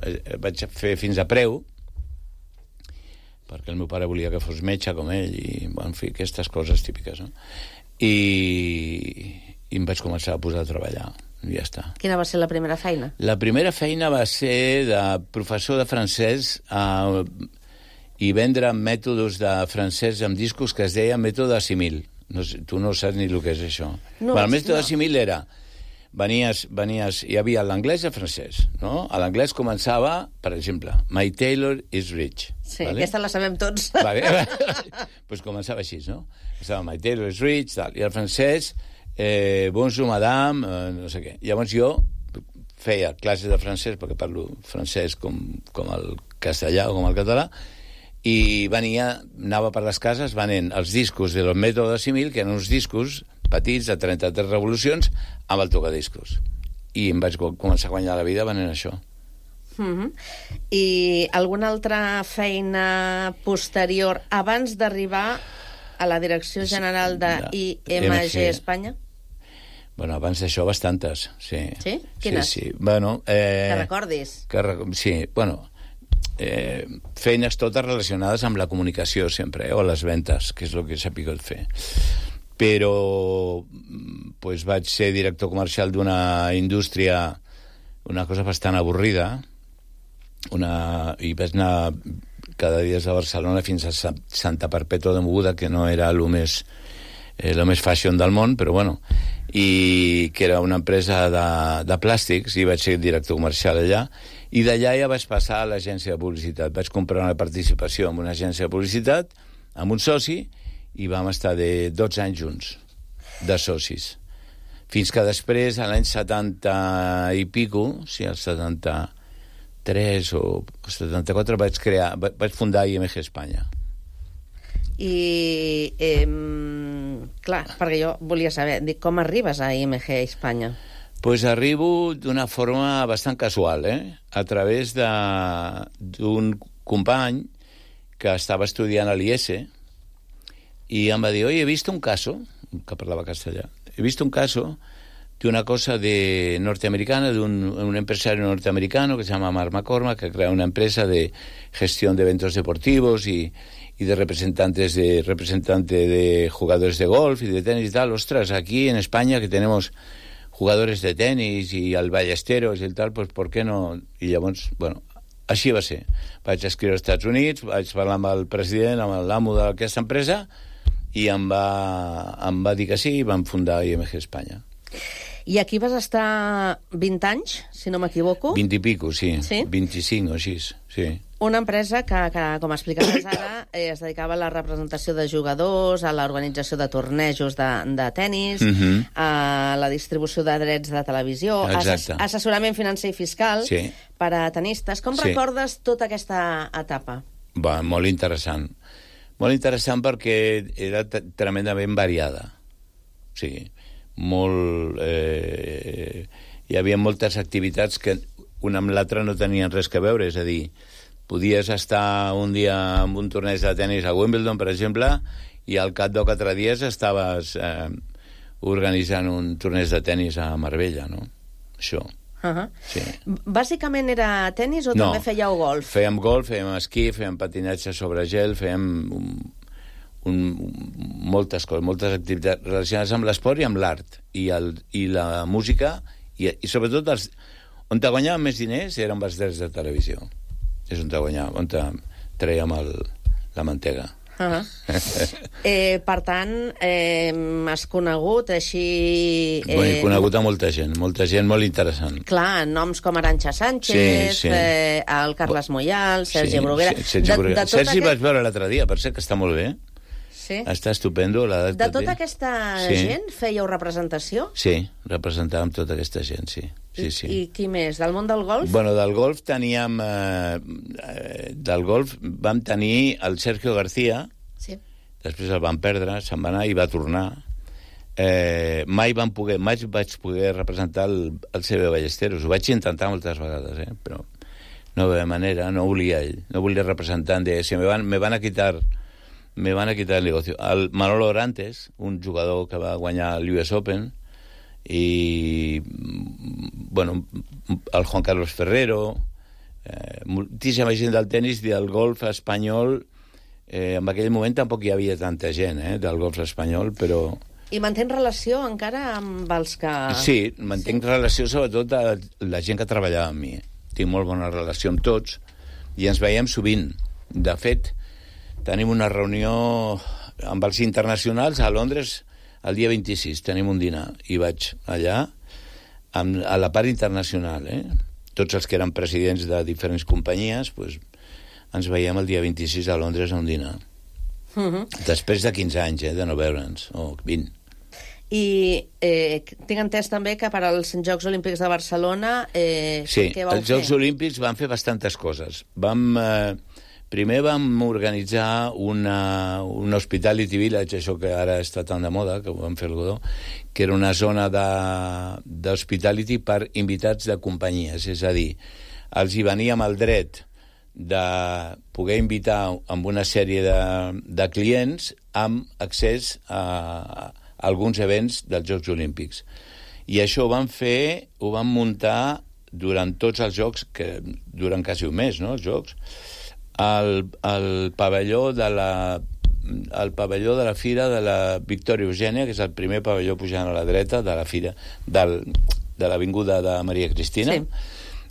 vaig fer fins a preu, perquè el meu pare volia que fos metge com ell, i en fi, aquestes coses típiques, no? I, i em vaig començar a posar a treballar, i ja està. Quina va ser la primera feina? La primera feina va ser de professor de francès a, i vendre mètodes de francès amb discos que es deia mètode Assimil. No sé, tu no saps ni el que és això. No, bueno, el mètode no. Assimil era... Venies, venies, hi havia l'anglès i el francès, no? A l'anglès començava, per exemple, My Tailor is rich. Sí, vale? aquesta la sabem tots. Vale. Pues començava així, no? Estava My Tailor is rich, tal. I el francès, eh, bonjour madame, eh, no sé què. Llavors jo feia classes de francès, perquè parlo francès com, com el castellà o com el català, i venia, anava per les cases venent els discos del mètode Assimil, que eren uns discos petits de trenta-tres revolucions amb el tocadiscos. I em vaig començar a guanyar la vida venent això. Mm-hmm. I alguna altra feina posterior abans d'arribar a la Direcció General de I M G Espanya? Bueno, abans d'això bastantes, sí. Sí? Quines? Sí, sí. Bueno, eh, que recordis? Que, sí, bueno, eh, feines totes relacionades amb la comunicació sempre, eh, o les ventes, que és el que s'ha picat fer. Però pues, vaig ser director comercial d'una indústria, una cosa bastant avorrida, una, i vaig anar cada dia des de Barcelona fins a Santa Perpètua de Mogoda, que no era el més, eh, lo més fashion del món, però bueno, i que era una empresa de, de plàstics, i vaig ser director comercial allà, i d'allà ja vaig passar a l'agència de publicitat. Vaig comprar una participació en una agència de publicitat, amb un soci, i vam estar de dotze anys junts, de socis. Fins que després, a l'any setanta i pico, sí, el setanta-tres o setanta-quatre, vaig crear, vaig fundar I M G Espanya. I, eh, clar, perquè jo volia saber, dic, com arribes a I M G Espanya? Pues arribo d'una forma bastant casual, eh? A través d'un company que estava estudiant a l'I S, y em va dir, oye, he visto un caso, que parlava castellà, he visto un caso de una cosa de norteamericana, de un, un empresario norteamericano que se llama Mark McCormack, que crea una empresa de gestión de eventos deportivos y, y de representantes de representante de jugadores de golf y de tenis y tal. Ostras, aquí en España que tenemos jugadores de tenis y al Ballesteros y el tal, pues ¿por qué no? I llavors, bueno, així va ser. Vaig escriure als Estats Units, vaig parlar amb el president, amb l'amo d'aquesta empresa, i em va, em va dir que sí, i vam fundar I M G Espanya. I aquí vas estar vint anys, si no m'equivoco? vint i pico, sí. Sí? vint-i-cinc o així, sí. Una empresa que, que com explicaves ara, eh, es dedicava a la representació de jugadors, a l'organització de tornejos de, de tennis, Mhm. a la distribució de drets de televisió, Exacte. assess assessorament financer i fiscal Sí. per a tenistes. Com Sí. recordes tota aquesta etapa? Va, molt interessant. Molt interessant perquè era tremendament variada. O sigui, molt... Eh, hi havia moltes activitats que una amb l'altra no tenien res que veure, és a dir, podies estar un dia en un torneig de tennis a Wimbledon, per exemple, i al cap de quatre dies estaves eh, organitzant un torneig de tennis a Marbella, no? Això. Uh-huh. Sí. Bàsicament era tennis o no, també fèieu golf? Fèiem golf, fèiem esquí, fèiem patinatge sobre gel, fèiem un, un, moltes coses, moltes activitats relacionades amb l'esport i amb l'art, i, el, i la música, i, i sobretot els, on te guanyàvem més diners eren els drets de televisió. És on te guanyàvem, on te traiem el, la mantega. Uh-huh. eh, per tant, eh, has conegut així... Eh, Bé, he conegut a molta gent, molta gent molt interessant. Clar, noms com Arantxa Sánchez, sí, sí. Eh, el Carles Moyal, Sergi sí, Bruguera... Sí, Sergi Bruguera. De, de Sergi aquest... vaig veure l'altre dia, per ser que està molt bé. Sí. Està estupendo. La de tota aquesta sí. gent fèieu representació? Sí, representàvem tota aquesta gent, sí. sí, sí. I, I qui més? Del món del golf? Bueno, del golf teníem... Eh, del golf vam tenir el Sergio García, sí. Després el van perdre, se'n va anar i va tornar. Eh, mai vam poder, mai vaig poder representar el, el C B Ballesteros. Ho vaig intentar moltes vegades, eh, però no de manera, no volia ell, no volia representar. Si me van, me van a quitar... me van a quitar el negocio. El Manolo Orantes, un jugador que va guanyar l'U S Open, i bueno, el Juan Carlos Ferrero, eh, moltíssima gent del tennis i del golf espanyol. Eh, en aquell moment tampoc hi havia tanta gent eh, del golf espanyol, però... I mantens relació encara amb els que... Sí, mantenc sí. relació sobretot a la gent que treballava amb mi. Tinc molt bona relació amb tots i ens veiem sovint. De fet, tenim una reunió amb els internacionals a Londres el dia vint-i-sis, tenim un dinar, i vaig allà amb, a la part internacional, eh? Tots els que eren presidents de diferents companyies, pues, ens veiem el dia vint-i-sis a Londres a un dinar. Uh-huh. Després de quinze anys, eh, de no veure'ns, o vint. I eh, tinc entès també que per als Jocs Olímpics de Barcelona... Eh, sí, què vau els Jocs fer? Olímpics van fer bastantes coses. Vam... Eh, Primer vam organitzar una, un hospitality village, això que ara està tan de moda, que ho vam fer el Godó, que era una zona d'hospitality per invitats de companyies. És a dir, els hi venia amb el dret de poder invitar amb una sèrie de, de clients amb accés a, a alguns events dels Jocs Olímpics. I això ho vam fer, ho vam muntar durant tots els Jocs, que duren quasi un mes, no?, els Jocs, al, al pavelló de la al pavelló de la Fira de la Victòria Eugènia, que és el primer pavelló pujant a la dreta de la Fira del, de l'Avinguda de Maria Cristina. Sí.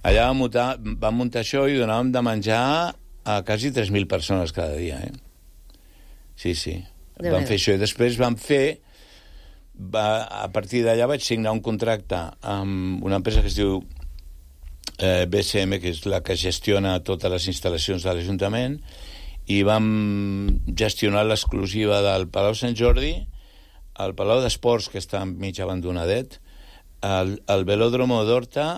Allà vam muntar, vam muntar això i donàvem de menjar a quasi tres mil persones cada dia, eh? Sí, sí. De vam fer això i després vam fer va, a partir d'allà vaig signar un contracte amb una empresa que es diu Eh, B C M, que és la que gestiona totes les instal·lacions de l'Ajuntament, i vam gestionar l'exclusiva del Palau Sant Jordi, el Palau d'Esports, que està mig abandonadet, el, el Velòdromo d'Horta,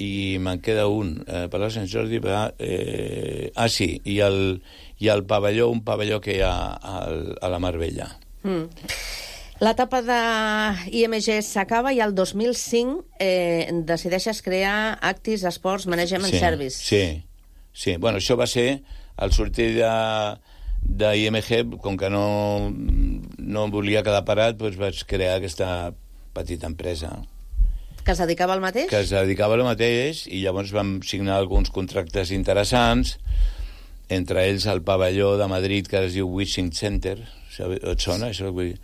i me'n queda un, eh, Palau Sant Jordi, va, eh, ah sí, i el, i el pavelló, un pavelló que hi ha al, a la Mar Bella. Mm. L'etapa de I M G s'acaba i el dos mil cinc eh, decideixes crear Actis Sports Management sí, Service. Sí, sí. Bueno, això va ser al sortir de, de I M G, com que no, no volia quedar parat, doncs vaig crear aquesta petita empresa. Que es dedicava al mateix? Que es dedicava al mateix, i llavors vam signar alguns contractes interessants, entre ells el pavelló de Madrid, que es diu Wishing Center. Et sona? Això vull dir...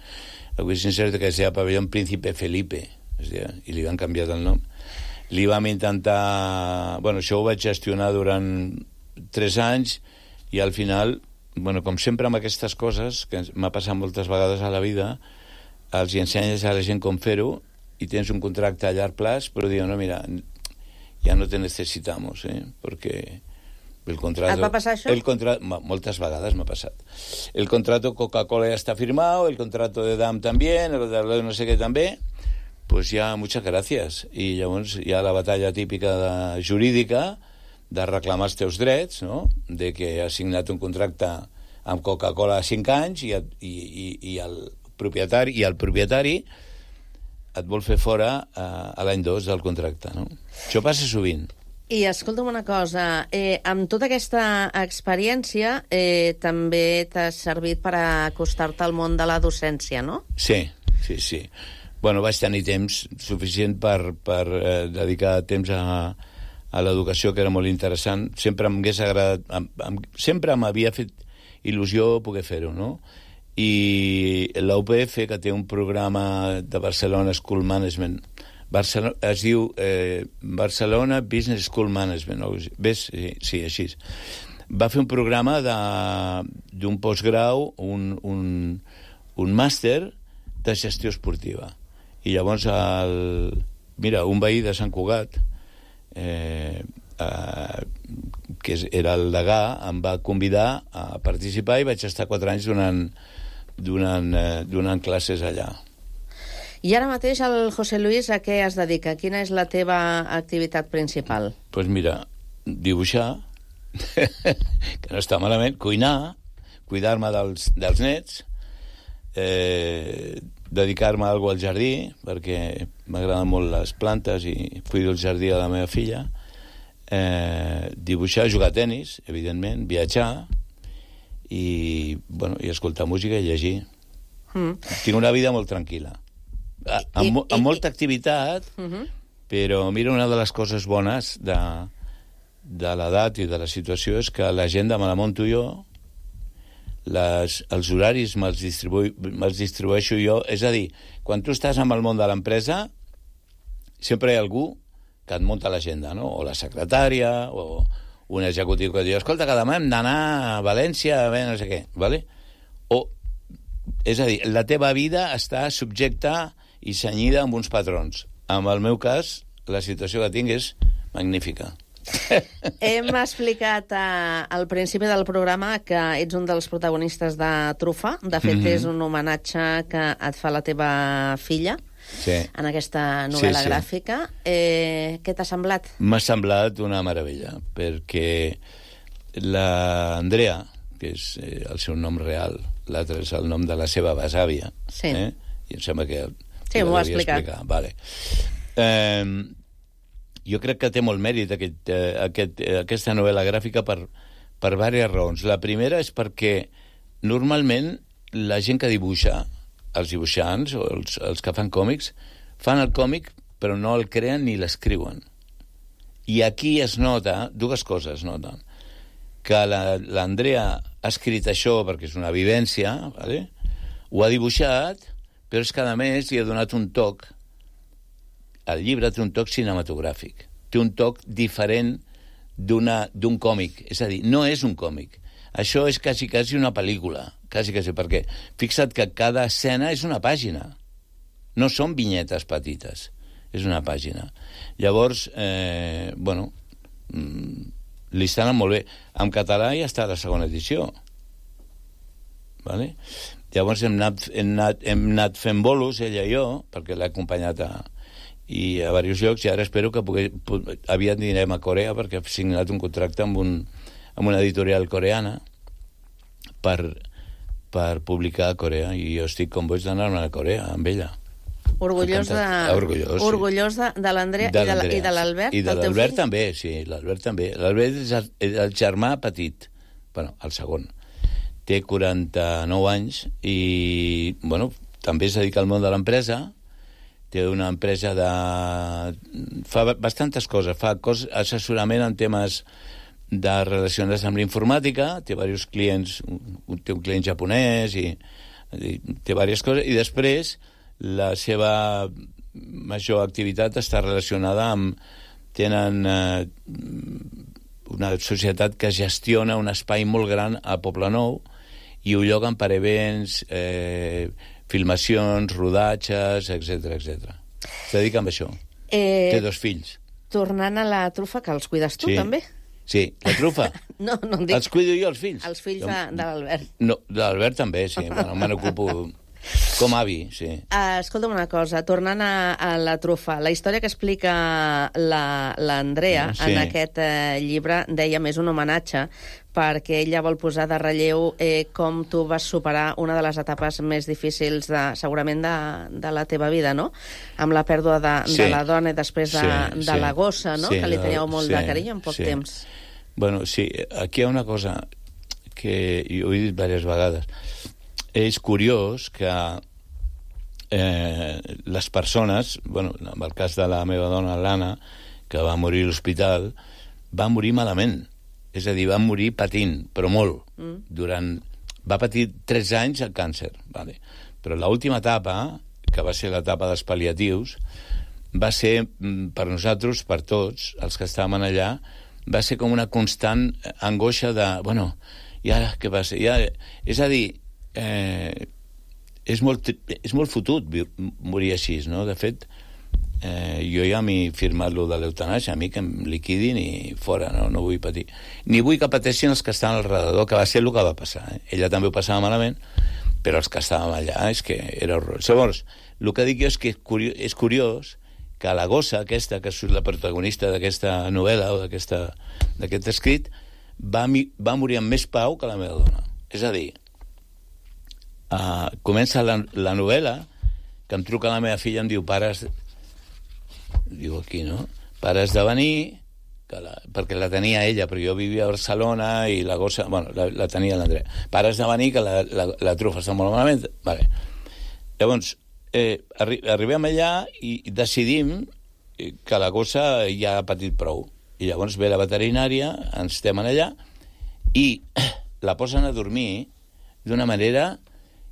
El Wishing Center, que es deia Pavelló Príncipe Felipe, es deia, i li van canviar el nom. Li vam intentar... Bueno, això ho vaig gestionar durant tres anys, i al final, bueno, com sempre amb aquestes coses, que m'ha passat moltes vegades a la vida, els hi ensenyes a la gent com fer-ho, i tens un contracte a llarg plaç, però diuen, no, mira, ja no te necesitamos, eh, perquè... El contrato, ¿Et va passar això? El contrato, moltes vegades m'ha passat. El contrato Coca-Cola ya está firmado, el contrato de D A M también, el de no sé qué també, pues ya muchas gracias. I llavors hi ha la batalla típica de, jurídica de reclamar els teus drets, no?, de que has signat un contracte amb Coca-Cola a cinc anys i, i, i, i, el propietari, i el propietari et vol fer fora a, a l'any dos del contracte, no? Això passa sovint. I escolta'm una cosa, eh, amb tota aquesta experiència eh, també t'ha servit per acostar-te al món de la docència, no? Sí, sí, sí. bueno, vaig tenir temps suficient per, per eh, dedicar temps a, a l'educació, que era molt interessant. Sempre m'hagués agradat, em, em, sempre m'havia fet il·lusió poder fer-ho, no? I l'U P F, que té un programa de Barcelona School Management, Barcelona, es diu eh, Barcelona Business School Management, no? Ves? Sí, sí, així. Va fer un programa d'un postgrau, un, un, un màster de gestió esportiva. I llavors, el, mira, un veí de Sant Cugat, eh, eh, que era el degà, em va convidar a participar i vaig estar quatre anys donant, donant, eh, donant classes allà. I ara mateix el José Luis a què es dedica? Quina és la teva activitat principal? Doncs pues mira, dibuixar, que no està malament, cuinar, cuidar-me dels, dels nets, eh, dedicar-me a alguna al jardí, perquè m'agraden molt les plantes i cuido el jardí a la meva filla, eh, dibuixar, jugar a tenis, evidentment, viatjar i, bueno, i escoltar música i llegir. Mm. Tinc una vida molt tranquil·la. A, amb, amb molta activitat, uh-huh. però mira, una de les coses bones de, de l'edat i de la situació és que l'agenda me la monto jo, les, els horaris me'ls distribu, me distribueixo jo, és a dir, quan tu estàs amb el món de l'empresa, sempre hi ha algú que et munta l'agenda, no? O la secretària, o un executiu que diu, escolta, que demà hem d'anar a València, a veure no sé què, ¿vale? O, és a dir, la teva vida està subjecta i senyida amb uns patrons. En el meu cas, la situació que tinc és magnífica. Hem explicat eh, al principi del programa que ets un dels protagonistes de Trufa. De fet, mm-hmm. és un homenatge que et fa la teva filla sí. en aquesta novel·la sí, sí. gràfica. Eh, què t'ha semblat? M'ha semblat una meravella, perquè l'Andrea, que és eh, el seu nom real, l'altre és el nom de la seva besàvia, sí. eh? I em sembla que... Sí, m'ho ha explicat. Vale. Eh, jo crec que té molt mèrit aquest, eh, aquest, eh, aquesta novel·la gràfica per, per diverses raons. La primera és perquè normalment la gent que dibuixa, els dibuixants o els, els que fan còmics, fan el còmic però no el creen ni l'escriuen. I aquí es nota, dues coses es noten, que l'Andrea ha escrit això perquè és una vivència, ¿vale? Ho ha dibuixat, però és que a més li ha donat un toc, el llibre té un toc cinematogràfic, té un toc diferent d'un còmic, és a dir, no és un còmic, això és quasi, quasi una pel·lícula, quasi, quasi, perquè fixa't que cada escena és una pàgina, no són vinyetes petites, és una pàgina. Llavors, eh, bueno, li estan molt bé. En català ja està la segona edició, vale? Llavors hem anat, hem, anat, hem anat fent bolos, ella i jo, perquè l'he acompanyat a, i a diversos llocs, i ara espero que pugui, aviat anirem a Corea, perquè he signat un contracte amb, un, amb una editorial coreana per, per publicar a Corea, i jo estic com boig d'anar-me a Corea amb ella. Orgullós de, orgullós, sí. orgullós de, de l'Andrea i de l'Albert, i de l'Albert també, sí, l'Albert també. L'Albert és el, el germà petit, bueno, el segon. Té quaranta-nou anys i, bueno, també es dedica al món de l'empresa. Té una empresa de... fa bastantes coses. Fa cos... assessorament en temes de relacionats amb l'informàtica. Té diversos clients, té un client japonès i, i té diverses coses. I després la seva major activitat està relacionada amb... tenen eh, una societat que gestiona un espai molt gran a Poblenou i ho lloguen per events, eh, filmacions, rodatges, etcètera, etcètera. Es dedica amb això. Eh, Té dos fills. Tornant a la trufa, que els cuides tu, sí. també? Sí, la trufa. no, no em dic... Els cuido jo, els fills. Els fills de, de l'Albert. No, de l'Albert també, sí. Bueno, me n'ocupo com avi, sí. Uh, escolta'm una cosa, tornant a, a la trufa, la història que explica l'Andrea la, sí. en aquest uh, llibre, deia més un homenatge, perquè ella vol posar de relleu eh, com tu vas superar una de les etapes més difícils, de, segurament, de, de la teva vida, no? Amb la pèrdua de, sí. de la dona i després de, sí, de sí. la gossa, no? Sí, que li teníeu molt sí, de carinyo en poc sí. temps. Bueno, sí, aquí hi ha una cosa que jo he dit diverses vegades. És curiós que eh, les persones, bueno, en el cas de la meva dona, l'Anna, que va morir a l'hospital, va morir malament. És a dir, va morir patint, però molt. Mm. Durant... Va patir tres anys el càncer, vale. Però l'última etapa, que va ser l'etapa dels pal·liatius, va ser, per nosaltres, per tots, els que estàvem allà, va ser com una constant angoixa de, bueno, i ara què passa? I ara... És a dir, eh, és, molt, és molt fotut morir així, no? De fet, eh, jo ja m'he firmat lo de l'eutanàsia, a mi que em liquidin i fora, no, no vull patir. Ni vull que pateixin els que estan al redador, que va ser el que va passar. Eh? Ella també ho passava malament, però els que estàvem allà és que era horror. Llavors, el que dic jo és que és curiós, és curiós que la gossa aquesta, que és la protagonista d'aquesta novel·la o d'aquest escrit, va, va morir amb més pau que la meva dona. És a dir, uh, comença la, la novel·la, que em truca la meva filla i em diu, pares... Diu aquí, no? Pares de venir, que la, perquè la tenia ella, però jo vivia a Barcelona i la gossa... Bueno, la, la tenia l'Andrea. Pares de venir, que la, la, la trufa està molt malament. Vale. Llavors, eh, arri arribem allà i decidim que la gossa ja ha patit prou. I llavors ve la veterinària, ens estem allà, i la posen a dormir d'una manera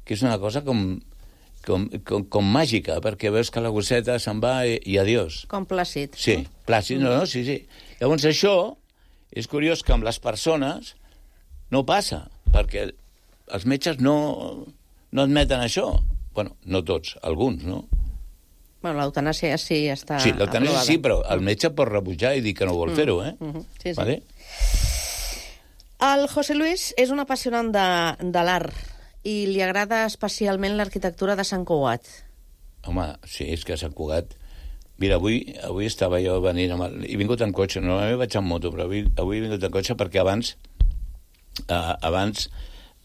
que és una cosa com... Com, com, com màgica, perquè veus que la gosseta se'n va i, i adiós. Com plàcid. Sí, plàcid, no, no, sí, sí. Llavors això és curiós que amb les persones no passa, perquè els metges no, no admeten això. Bueno, no tots, alguns, no? Bueno, l'eutanàsia sí està... Sí, l'eutanàsia sí, però el metge pot rebutjar i dir que no vol mm. fer-ho, eh? Mm -hmm. Sí, sí. Vale? El José Luis és un apassionant de, de l'art i li agrada especialment l'arquitectura de Sant Cugat. Home, sí, és que Sant Cugat... Mira, avui, avui estava jo venint... Amb el... He vingut en cotxe, normalment vaig en moto, però avui, avui he vingut en cotxe perquè abans eh, abans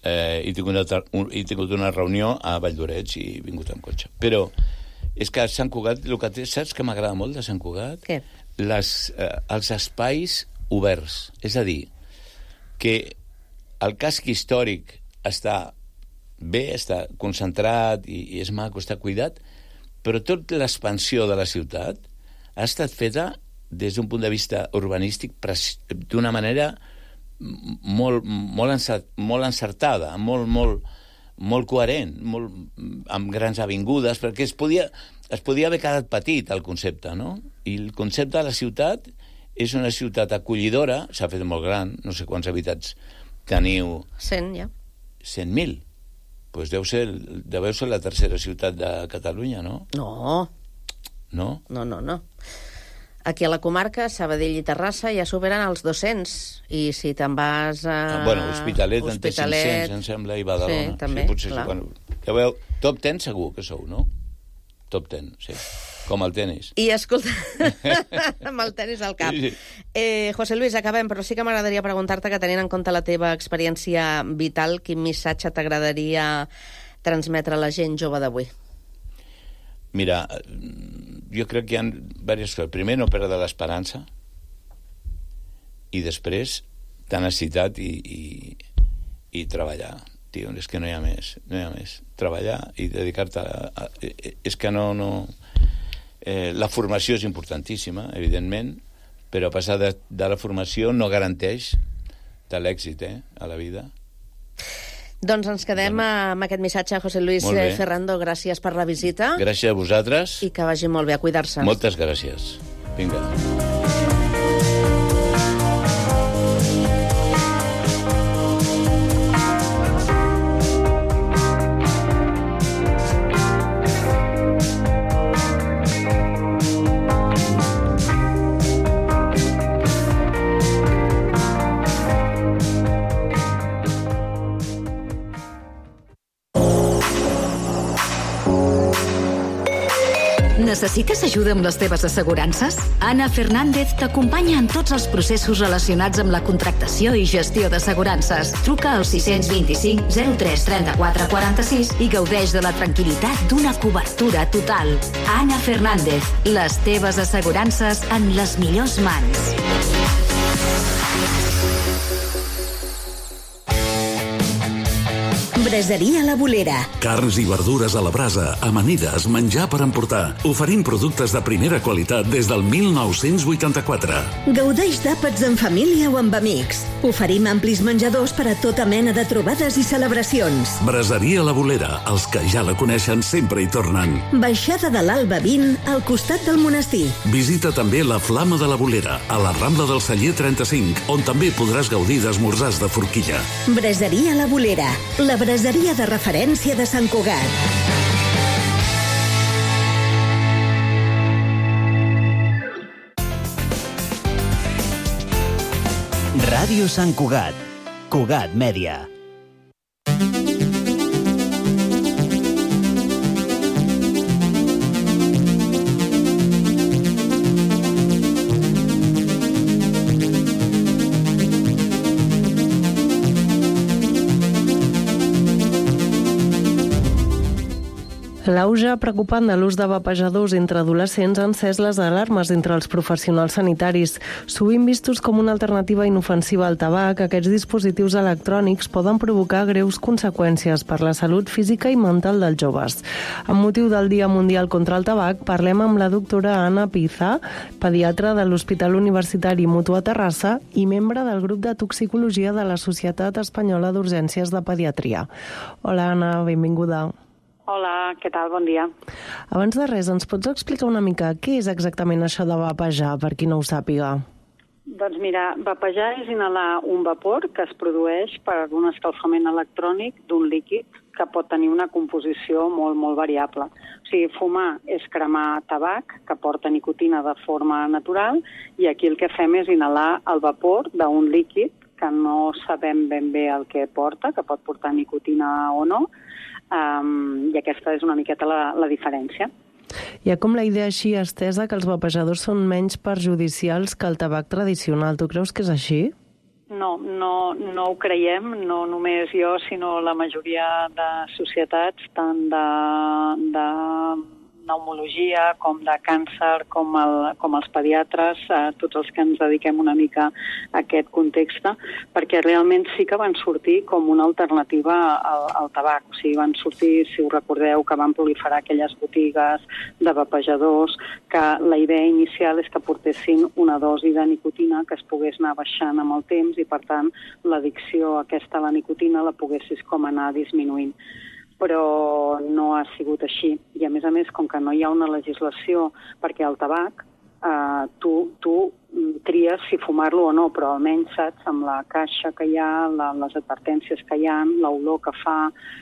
eh, he, tingut una, un, he tingut una reunió a Valldoreix i he vingut en cotxe. Però és que Sant Cugat, el que té, saps que m'agrada molt de Sant Cugat? Què? Les, eh, els espais oberts. És a dir, que el casc històric està bé, està concentrat i, i és maco, està cuidat, però tota l'expansió de la ciutat ha estat feta des d'un punt de vista urbanístic d'una manera molt, molt, encert, molt encertada, molt, molt, molt coherent, molt, amb grans avingudes, perquè es podia, es podia haver quedat petit, el concepte, no? I el concepte de la ciutat és una ciutat acollidora, s'ha fet molt gran, no sé quants habitants teniu... Cent, ja. Cent mil. Pues deu ser, deu ser la tercera ciutat de Catalunya, no? No. No? No, no, no. Aquí a la comarca, Sabadell i Terrassa, ja superen els dos-cents. I si te'n vas a... Ah, bueno, Hospitalet, Hospitalet en té cinc-cents, em sembla, i Badalona. Sí, també, sí, potser, clar. Bueno, ja veieu, top ten segur que sou, no? Top ten, sí. Com el tenis. I escolta, amb el tenis al cap. Sí, sí. Eh, José Luis, acabem, però sí que m'agradaria preguntar-te que tenint en compte la teva experiència vital, quin missatge t'agradaria transmetre a la gent jove d'avui? Mira, jo crec que hi ha diverses coses. Primer, no perdre l'esperança, i després, tenacitat i, i, i treballar. Tio, és que no hi ha més, no hi ha més. Treballar i dedicar-te a, a... És que no... no... Eh, la formació és importantíssima, evidentment, però a passar de, de la formació no garanteix de l'èxit eh, a la vida. Doncs ens quedem bueno. amb aquest missatge. José Luis Ferrando, gràcies per la visita. Gràcies a vosaltres. I que vagi molt bé, a cuidar-se. Moltes gràcies. Vinga. Necessites ajuda amb les teves assegurances? Anna Fernández t'acompanya en tots els processos relacionats amb la contractació i gestió d'assegurances. Truca al sis dos cinc zero tres tres quatre quatre sis i gaudeix de la tranquil·litat d'una cobertura total. Anna Fernández, les teves assegurances en les millors mans. Braseria La Bolera. Carns i verdures a la brasa, amanides, menjar per emportar. Oferim productes de primera qualitat des del mil nou-cents vuitanta-quatre. Gaudeix d'àpats en família o amb amics. Oferim amplis menjadors per a tota mena de trobades i celebracions. Braseria La Bolera. Els que ja la coneixen sempre hi tornen. Baixada de l'Alba vint, al costat del monestir. Visita també la Flama de la Bolera, a la Rambla del Celler trenta-cinc, on també podràs gaudir d'esmorzars de forquilla. Braseria La Bolera. La braseria de referència de Sant Cugat. Ràdio Sant Cugat. Cugat Mèdia. L'auge preocupant de l'ús de vapejadors entre adolescents ha encès les alarmes entre els professionals sanitaris. Sovint vistos com una alternativa inofensiva al tabac, aquests dispositius electrònics poden provocar greus conseqüències per la salut física i mental dels joves. Amb motiu del Dia Mundial contra el Tabac, parlem amb la doctora Anna Pizá, pediatra de l'Hospital Universitari Mutua Terrassa i membre del grup de toxicologia de la Societat Espanyola d'Urgències de Pediatria. Hola, Anna, benvinguda. Hola, què tal? Bon dia. Abans de res, ens pots explicar una mica què és exactament això de vapejar, per qui no ho sàpiga? Doncs mira, vapejar és inhalar un vapor que es produeix per un escalfament electrònic d'un líquid que pot tenir una composició molt, molt variable. O sigui, fumar és cremar tabac, que porta nicotina de forma natural, i aquí el que fem és inhalar el vapor d'un líquid que no sabem ben bé el que porta, que pot portar nicotina o no, Um, i aquesta és una miqueta la, la diferència. Hi ha com la idea així estesa que els vapejadors són menys perjudicials que el tabac tradicional. Tu creus que és així? No, no, no ho creiem, no només jo, sinó la majoria de societats, tant de, de pneumologia, com de càncer, com, el, com els pediatres, eh, tots els que ens dediquem una mica a aquest context, perquè realment sí que van sortir com una alternativa al, al tabac. O sigui, van sortir, si us recordeu, que van proliferar aquelles botigues de vapejadors, que la idea inicial és que portessin una dosi de nicotina que es pogués anar baixant amb el temps i, per tant, l'addicció aquesta a la nicotina la poguessis com anar disminuint. Però no ha sigut així. I, a més a més, com que no hi ha una legislació, perquè el tabac, eh, tu, tu tries si fumar-lo o no, però almenys saps, amb la caixa que hi ha, la, les advertències que hi ha, l'olor que fa,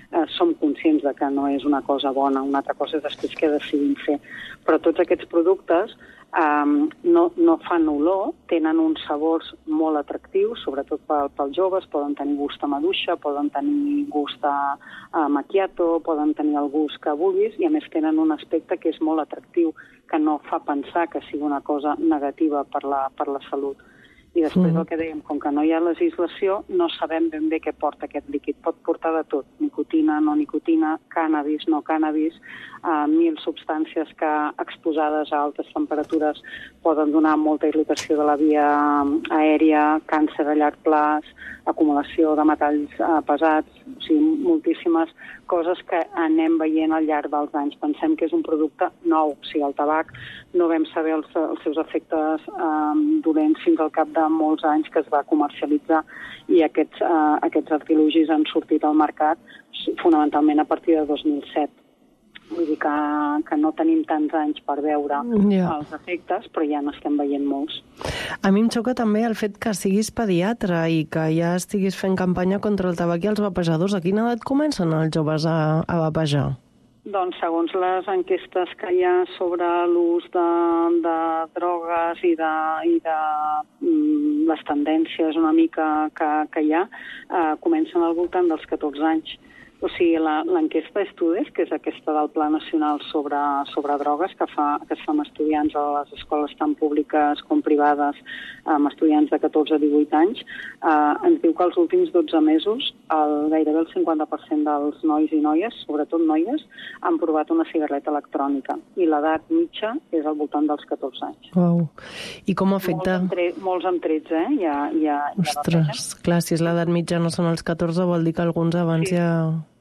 eh, som conscients de que no és una cosa bona. Una altra cosa és després què decidim fer. Però tots aquests productes Um, no, no fan olor, tenen uns sabors molt atractius, sobretot pel, pels joves, poden tenir gust a maduixa, poden tenir gust a, a macchiato, poden tenir el gust que vulguis, i a més tenen un aspecte que és molt atractiu, que no fa pensar que sigui una cosa negativa per la, per la salut. I després el que dèiem, com que no hi ha legislació, no sabem ben bé què porta aquest líquid. Pot portar de tot, nicotina, no nicotina, cànnabis, no cànnabis, eh, mil substàncies que exposades a altes temperatures poden donar molta irritació de la via aèria, càncer a llarg plaç, acumulació de metalls eh, pesats, o sigui, moltíssimes coses que anem veient al llarg dels anys. Pensem que és un producte nou, o sigui, el tabac no vam saber els, els seus efectes eh, dolents fins al cap de molts anys que es va comercialitzar, i aquests, eh, aquests artilugis han sortit al mercat fonamentalment a partir de dos mil set. Vull dir que, que no tenim tants anys per veure Ja. els efectes, però ja n'estem veient molts. A mi em xoca també el fet que siguis pediatre i que ja estiguis fent campanya contra el tabac i els vapejadors. A quina edat comencen els joves a, a vapejar? Doncs segons les enquestes que hi ha sobre l'ús de, de drogues i de, i de mm, les tendències una mica que, que hi ha, eh, comencen al voltant dels catorze anys. O sigui, l'enquesta d'estudis, que és aquesta del Pla Nacional sobre, sobre drogues, que, fa, que es fa amb estudiants a les escoles tant públiques com privades, amb estudiants de catorze a divuit anys, eh, ens diu que els últims dotze mesos el, gairebé el cinquanta per cent dels nois i noies, sobretot noies, han provat una cigarreta electrònica. I l'edat mitja és al voltant dels catorze anys. Uau. I com afecta? Molts amb, tre molts amb tretze, eh? Ja, ja, Ostres, ja clar, si és l'edat mitja no són els catorze, vol dir que alguns abans sí. ja...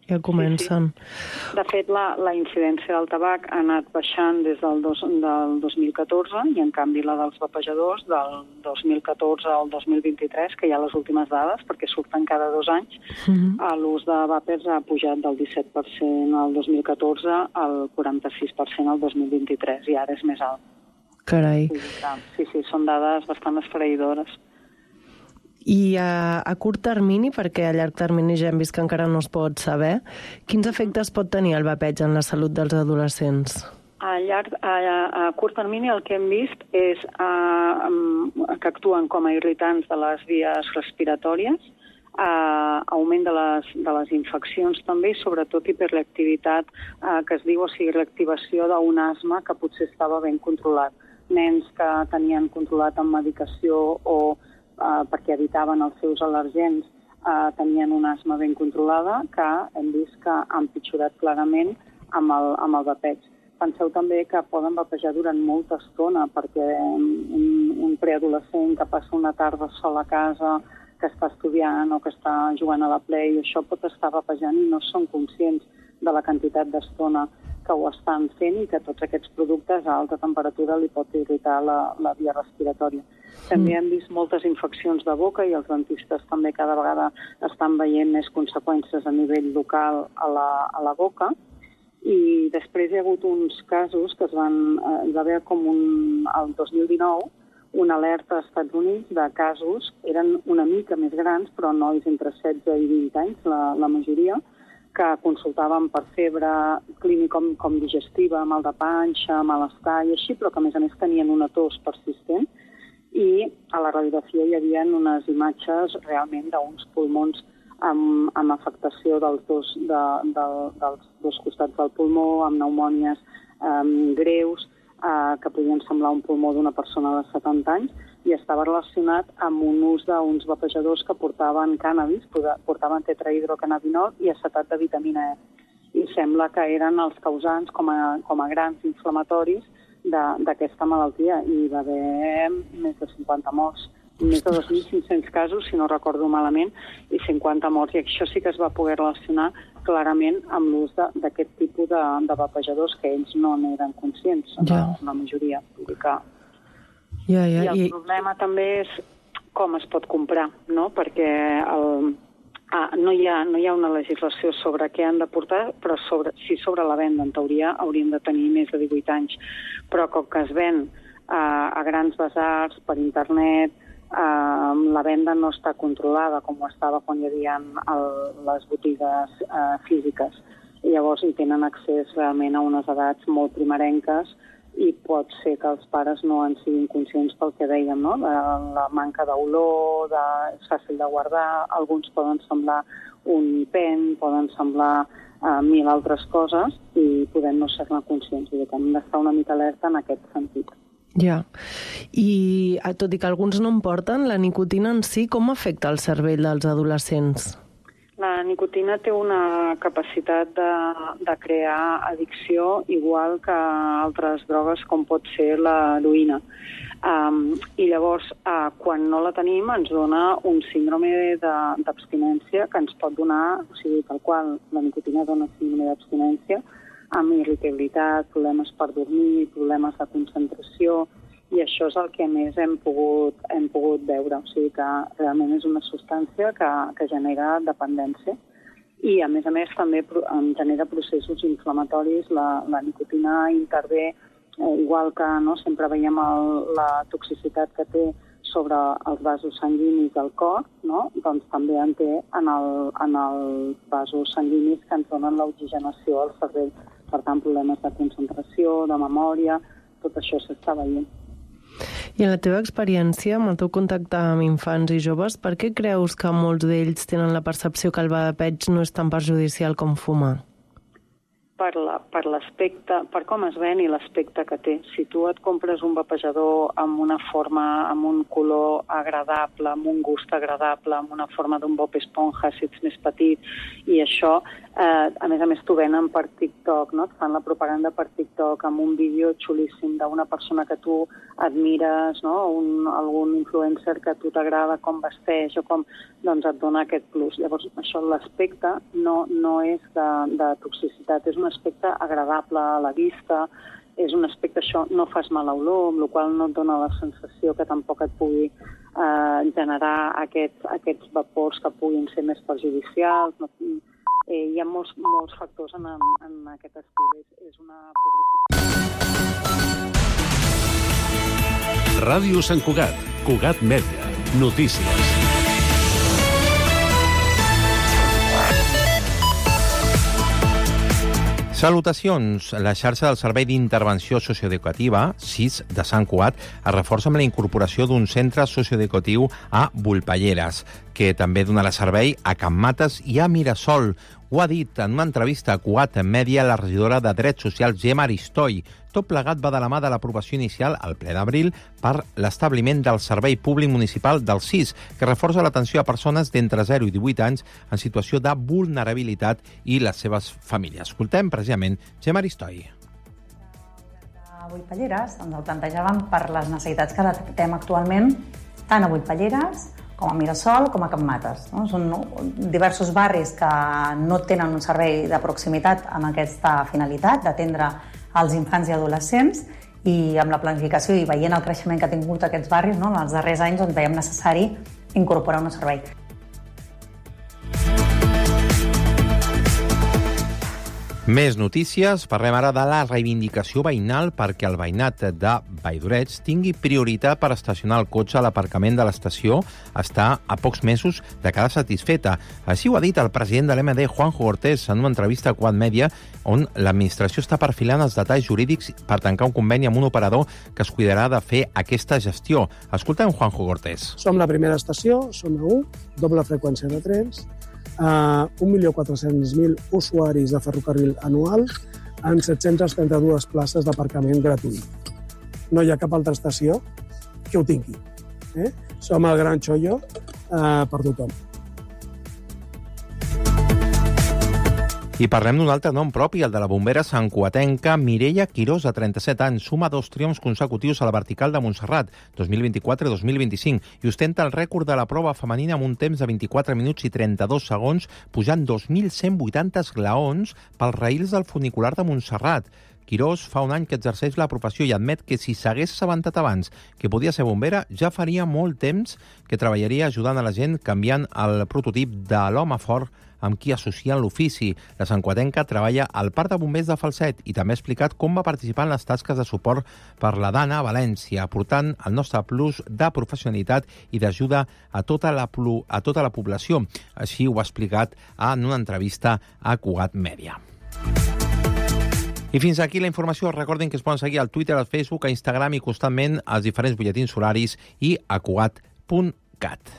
Ja comencen. Sí, sí. De fet, la, la incidència del tabac ha anat baixant des del, dos, del dos mil catorze i, en canvi, la dels vapejadors del dos mil catorze al dos mil vint-i-tres, que hi ha les últimes dades, perquè surten cada dos anys, uh-huh. l'ús de vapers ha pujat del disset per cent al dos mil catorze al quaranta-sis per cent al dos mil vint-i-tres, i ara és més alt. Carai. Sí, sí, són dades bastant esfereïdores. I a, a curt termini, perquè a llarg termini ja hem vist que encara no es pot saber, quins efectes pot tenir el vapeig en la salut dels adolescents? A, llarg, a, a curt termini el que hem vist és a, que actuen com a irritants de les vies respiratòries, a, augment de les, de les infeccions també, i sobretot hiperreactivitat, a, que es diu, o sigui, reactivació d'un asma que potser estava ben controlat. Nens que tenien controlat amb medicació o Uh, perquè evitaven els seus al·lergens, uh, tenien una asma ben controlada, que hem vist que ha empitjorat clarament amb el, amb el vapeig. Penseu també que poden vapejar durant molta estona, perquè un, un preadolescent que passa una tarda sol a casa, que està estudiant o que està jugant a la Play, això pot estar vapejant i no són conscients de la quantitat d'estona que ho estan fent i que tots aquests productes a alta temperatura li pot irritar la, la via respiratòria. També hem vist moltes infeccions de boca i els dentistes també cada vegada estan veient més conseqüències a nivell local a la, a la boca. I després hi ha hagut uns casos que es van... Eh, hi va haver com un, el dos mil dinou una alerta als Estats Units de casos, eren una mica més grans, però nois entre setze i vint anys, la, la majoria, que consultaven per febre clínica com, com digestiva, mal de panxa, malestar i així, però que a més a més tenien una tos persistent. I a la radiografia hi havia unes imatges realment d'uns pulmons amb, amb afectació dels dos, de, de, dels dos costats del pulmó, amb pneumònies um, greus, uh, que podien semblar un pulmó d'una persona de setanta anys, i estava relacionat amb un ús d'uns vapejadors que portaven cànnabis, portaven tetrahidrocannabinol i acetat de vitamina E. I sembla que eren els causants com a, com a grans inflamatoris d'aquesta malaltia. I hi va haver més de cinquanta morts, més de dos mil cinc-cents casos, si no recordo malament, i cinquanta morts. I això sí que es va poder relacionar clarament amb l'ús d'aquest tipus de, de vapejadors, que ells no n'eren conscients, ja. la, la majoria. Vull dir que... Ja, ja, I el i... problema també és com es pot comprar, no? Perquè el, ah, no, hi ha, no hi ha una legislació sobre què han de portar, però sobre, sí sobre la venda, en teoria, haurien de tenir més de divuit anys. Però com que es ven ah, a grans basars, per internet, ah, la venda no està controlada com ho estava quan hi havia el, les botigues ah, físiques. I llavors hi tenen accés realment a unes edats molt primerenques, i pot ser que els pares no en siguin conscients pel que dèiem, no? La, la manca d'olor, de, és fàcil de guardar, alguns poden semblar un pen, poden semblar uh, mil altres coses i podem no ser-ne conscients, vull dir que hem d'estar una mica alerta en aquest sentit. Ja, i tot i que alguns no en porten, la nicotina en si com afecta el cervell dels adolescents? La nicotina té una capacitat de, de crear addicció igual que altres drogues com pot ser l'heroïna. Um, I llavors, uh, quan no la tenim, ens dona un síndrome d'abstinència que ens pot donar, o sigui, tal qual la nicotina dona síndrome d'abstinència, amb irritabilitat, problemes per dormir, problemes de concentració, i això és el que més hem pogut, hem pogut veure. O sigui que realment és una substància que, que genera dependència i, a més a més, també genera processos inflamatoris. La, la nicotina intervé, eh, igual que no, sempre veiem el, la toxicitat que té sobre els vasos sanguinis del cor, no? Doncs també en té en, el, en els vasos sanguinis que ens donen l'oxigenació al cervell. Per tant, problemes de concentració, de memòria, tot això s'està veient. I en la teva experiència, amb el teu contacte amb infants i joves, per què creus que molts d'ells tenen la percepció que el vapeig no és tan perjudicial com fumar? Per la, per l'aspecte, per com es ven i l'aspecte que té. Si tu et compres un vapejador amb una forma, amb un color agradable, amb un gust agradable, amb una forma d'un Bob Esponja si ets més petit, i això, eh, a més a més t'ho venen per TikTok, no? Et fan la propaganda per TikTok amb un vídeo xulíssim d'una persona que tu admires, no? Un, algun influencer que a tu t'agrada com vesteix o com, doncs et dona aquest plus. Llavors, això, l'aspecte no, no és de, de toxicitat, és un aspecte agradable a la vista, és un aspecte, això, no fas mala olor, amb la qual no et dona la sensació que tampoc et pugui eh, generar aquests, aquests vapors que puguin ser més perjudicials. No, eh, hi ha molts, molts factors en, en aquest estil. És, és una publicitat. Ràdio Sant Cugat, Cugat Mèdia, notícies. Salutacions! La xarxa del Servei d'Intervenció Socioeducativa, S I S, de Sant Cugat, es reforça amb la incorporació d'un centre socioeducatiu a Volpelleres, que també donarà servei a Can Mates i a Mirasol. Ho ha dit en una entrevista a Cugat Mèdia la regidora de Drets Socials, Gemma Aristoi. Tot plegat va de la mà de l'aprovació inicial al ple d'abril per l'establiment del Servei Públic Municipal del S I S, que reforça l'atenció a persones d'entre zero i divuit anys en situació de vulnerabilitat i les seves famílies. Escoltem precisament Gemma Aristoi. A Volpelleres ens el plantejàvem per les necessitats que detectem actualment tant a Volpelleres com a Mirasol, com a Can Mates. No? Són diversos barris que no tenen un servei de proximitat amb aquesta finalitat, d'atendre als infants i adolescents, i amb la planificació i veient el creixement que ha tingut aquests barris, no? En els darrers anys doncs, veiem necessari incorporar un servei. Més notícies. Parlem ara de la reivindicació veïnal perquè el veïnat de Valldoreix tingui prioritat per estacionar el cotxe a l'aparcament de l'estació. Està a pocs mesos de quedar satisfeta. Així ho ha dit el president de l'M D, Juanjo Cortés, en una entrevista a Cugat Mèdia, on l'administració està perfilant els detalls jurídics per tancar un conveni amb un operador que es cuidarà de fer aquesta gestió. Escoltem Juanjo Cortés. Som la primera estació, som a u, doble freqüència de trens, Uh, un milió quatre-cents mil usuaris de ferrocarril anual en set-centes trenta-dues places d'aparcament gratuït. No hi ha cap altra estació que ho tingui. Eh? Som el gran xollo uh, per tothom. I parlem d'un altre nom propi, el de la bombera santcugatenca Mireia Quirós, de trenta-set anys. Suma dos triomfs consecutius a la vertical de Montserrat, dos mil vint-i-quatre i dos mil vint-i-cinc, i ostenta el rècord de la prova femenina amb un temps de vint-i-quatre minuts i trenta-dos segons, pujant dos mil cent vuitanta esglaons pels raïls del funicular de Montserrat. Quirós fa un any que exerceix la professió i admet que si s'hagués assabentat abans que podia ser bombera, ja faria molt temps que treballaria ajudant a la gent canviant el prototip de l'home fort amb qui associen l'ofici. La santcugatenca treballa al Parc de Bombers de Falset i també ha explicat com va participar en les tasques de suport per la Dana a València, aportant el nostre plus de professionalitat i d'ajuda a tota la, a tota la població. Així ho ha explicat en una entrevista a Cugat Mèdia. I fins aquí la informació. Recordin que es poden seguir al Twitter, al Facebook, a Instagram i constantment als diferents butlletins horaris i a cugat punt cat.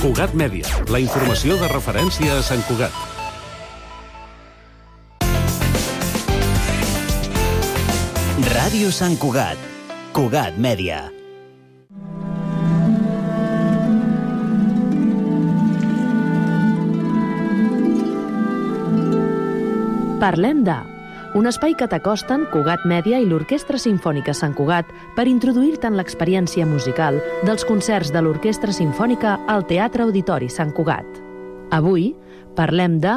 Cugat Mèdia, la informació de referència a Sant Cugat. Ràdio Sant Cugat, Cugat Mèdia. Parlem de... Un espai que t'acosten Cugat Mèdia i l'Orquestra Simfònica Sant Cugat per introduir-te en l'experiència musical dels concerts de l'Orquestra Simfònica al Teatre Auditori Sant Cugat. Avui parlem de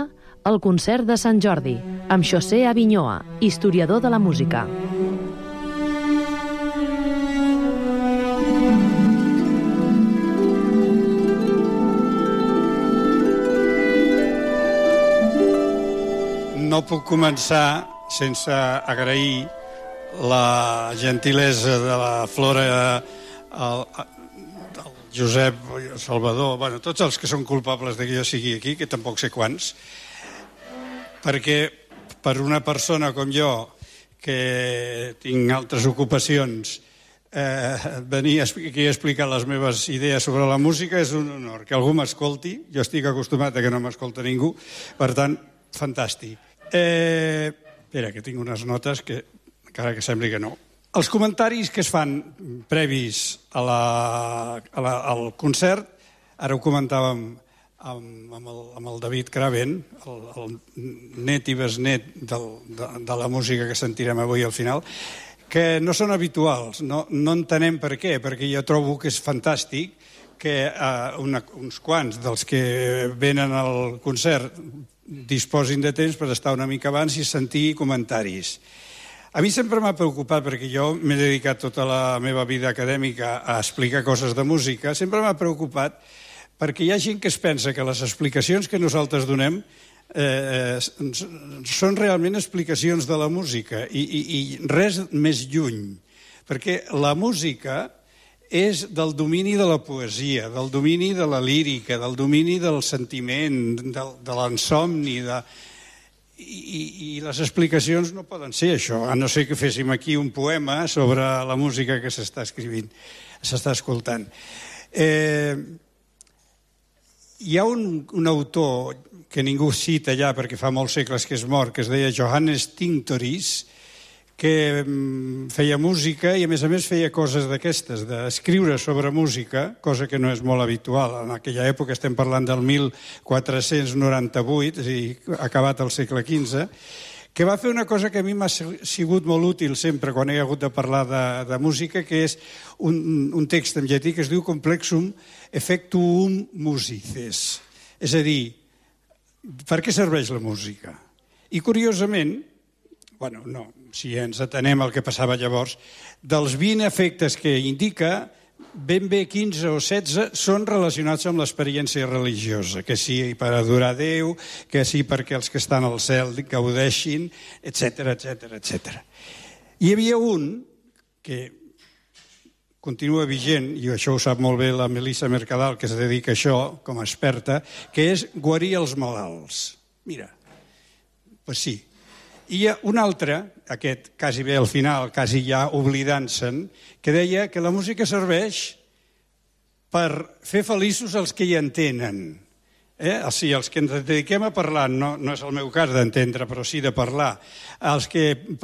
El concert de Sant Jordi, amb José Avinyoa, historiador de la música. No puc començar sense agrair la gentilesa de la Flora, el, el Josep, el Salvador, bueno, tots els que són culpables de que jo sigui aquí, que tampoc sé quants, perquè per una persona com jo, que tinc altres ocupacions, eh, venir aquí a explicar les meves idees sobre la música és un honor. Que algú m'escolti, jo estic acostumat a que no m'escolta ningú, per tant, fantàstic. Eh, espera, que tinc unes notes que encara que sembli que no. Els comentaris que es fan previs a la, a la, al concert, ara ho comentàvem amb, amb, el, amb el David Craven, el, el net i besnet del, de, de la música que sentirem avui al final, que no són habituals, no, no entenem per què, perquè jo trobo que és fantàstic que eh, una, uns quants dels que venen al concert disposin de temps per estar una mica abans i sentir comentaris. A mi sempre m'ha preocupat, perquè jo m'he dedicat tota la meva vida acadèmica a explicar coses de música, sempre m'ha preocupat perquè hi ha gent que es pensa que les explicacions que nosaltres donem eh, són realment explicacions de la música i, i, i res més lluny, perquè la música és del domini de la poesia, del domini de la lírica, del domini del sentiment, del, de l'insomni, de... I, i les explicacions no poden ser això, a no ser que féssim aquí un poema sobre la música que s'està escrivint, s'està escoltant. Eh, hi ha un, un autor que ningú cita ja perquè fa molts segles que és mort, que es deia Johannes Tinctoris, que feia música i a més a més feia coses d'aquestes, d'escriure sobre música, cosa que no és molt habitual. En aquella època estem parlant del mil quatre-cents noranta-vuit, és a dir, acabat el segle quinze, que va fer una cosa que a mi m'ha sigut molt útil sempre quan he hagut de parlar de, de música, que és un, un text en llatí que es diu Complexum Effectuum Musices. És a dir, per què serveix la música? I curiosament, bueno, no, si ens atenem al que passava llavors, dels vint efectes que indica, ben bé quinze o setze són relacionats amb l'experiència religiosa, que sí per adorar Déu, que sí perquè els que estan al cel gaudeixin, etcètera, etcètera, etcètera. Hi havia un que continua vigent, i això ho sap molt bé la Melissa Mercadal, que es dedica a això com a experta, que és guarir els malalts. Mira, doncs sí. I hi ha un altre, aquest quasi bé al final, quasi ja oblidant-se'n, que deia que la música serveix per fer feliços els que hi entenen. Eh? O sigui, els que ens dediquem a parlar, no, no és el meu cas d'entendre, però sí de parlar, els que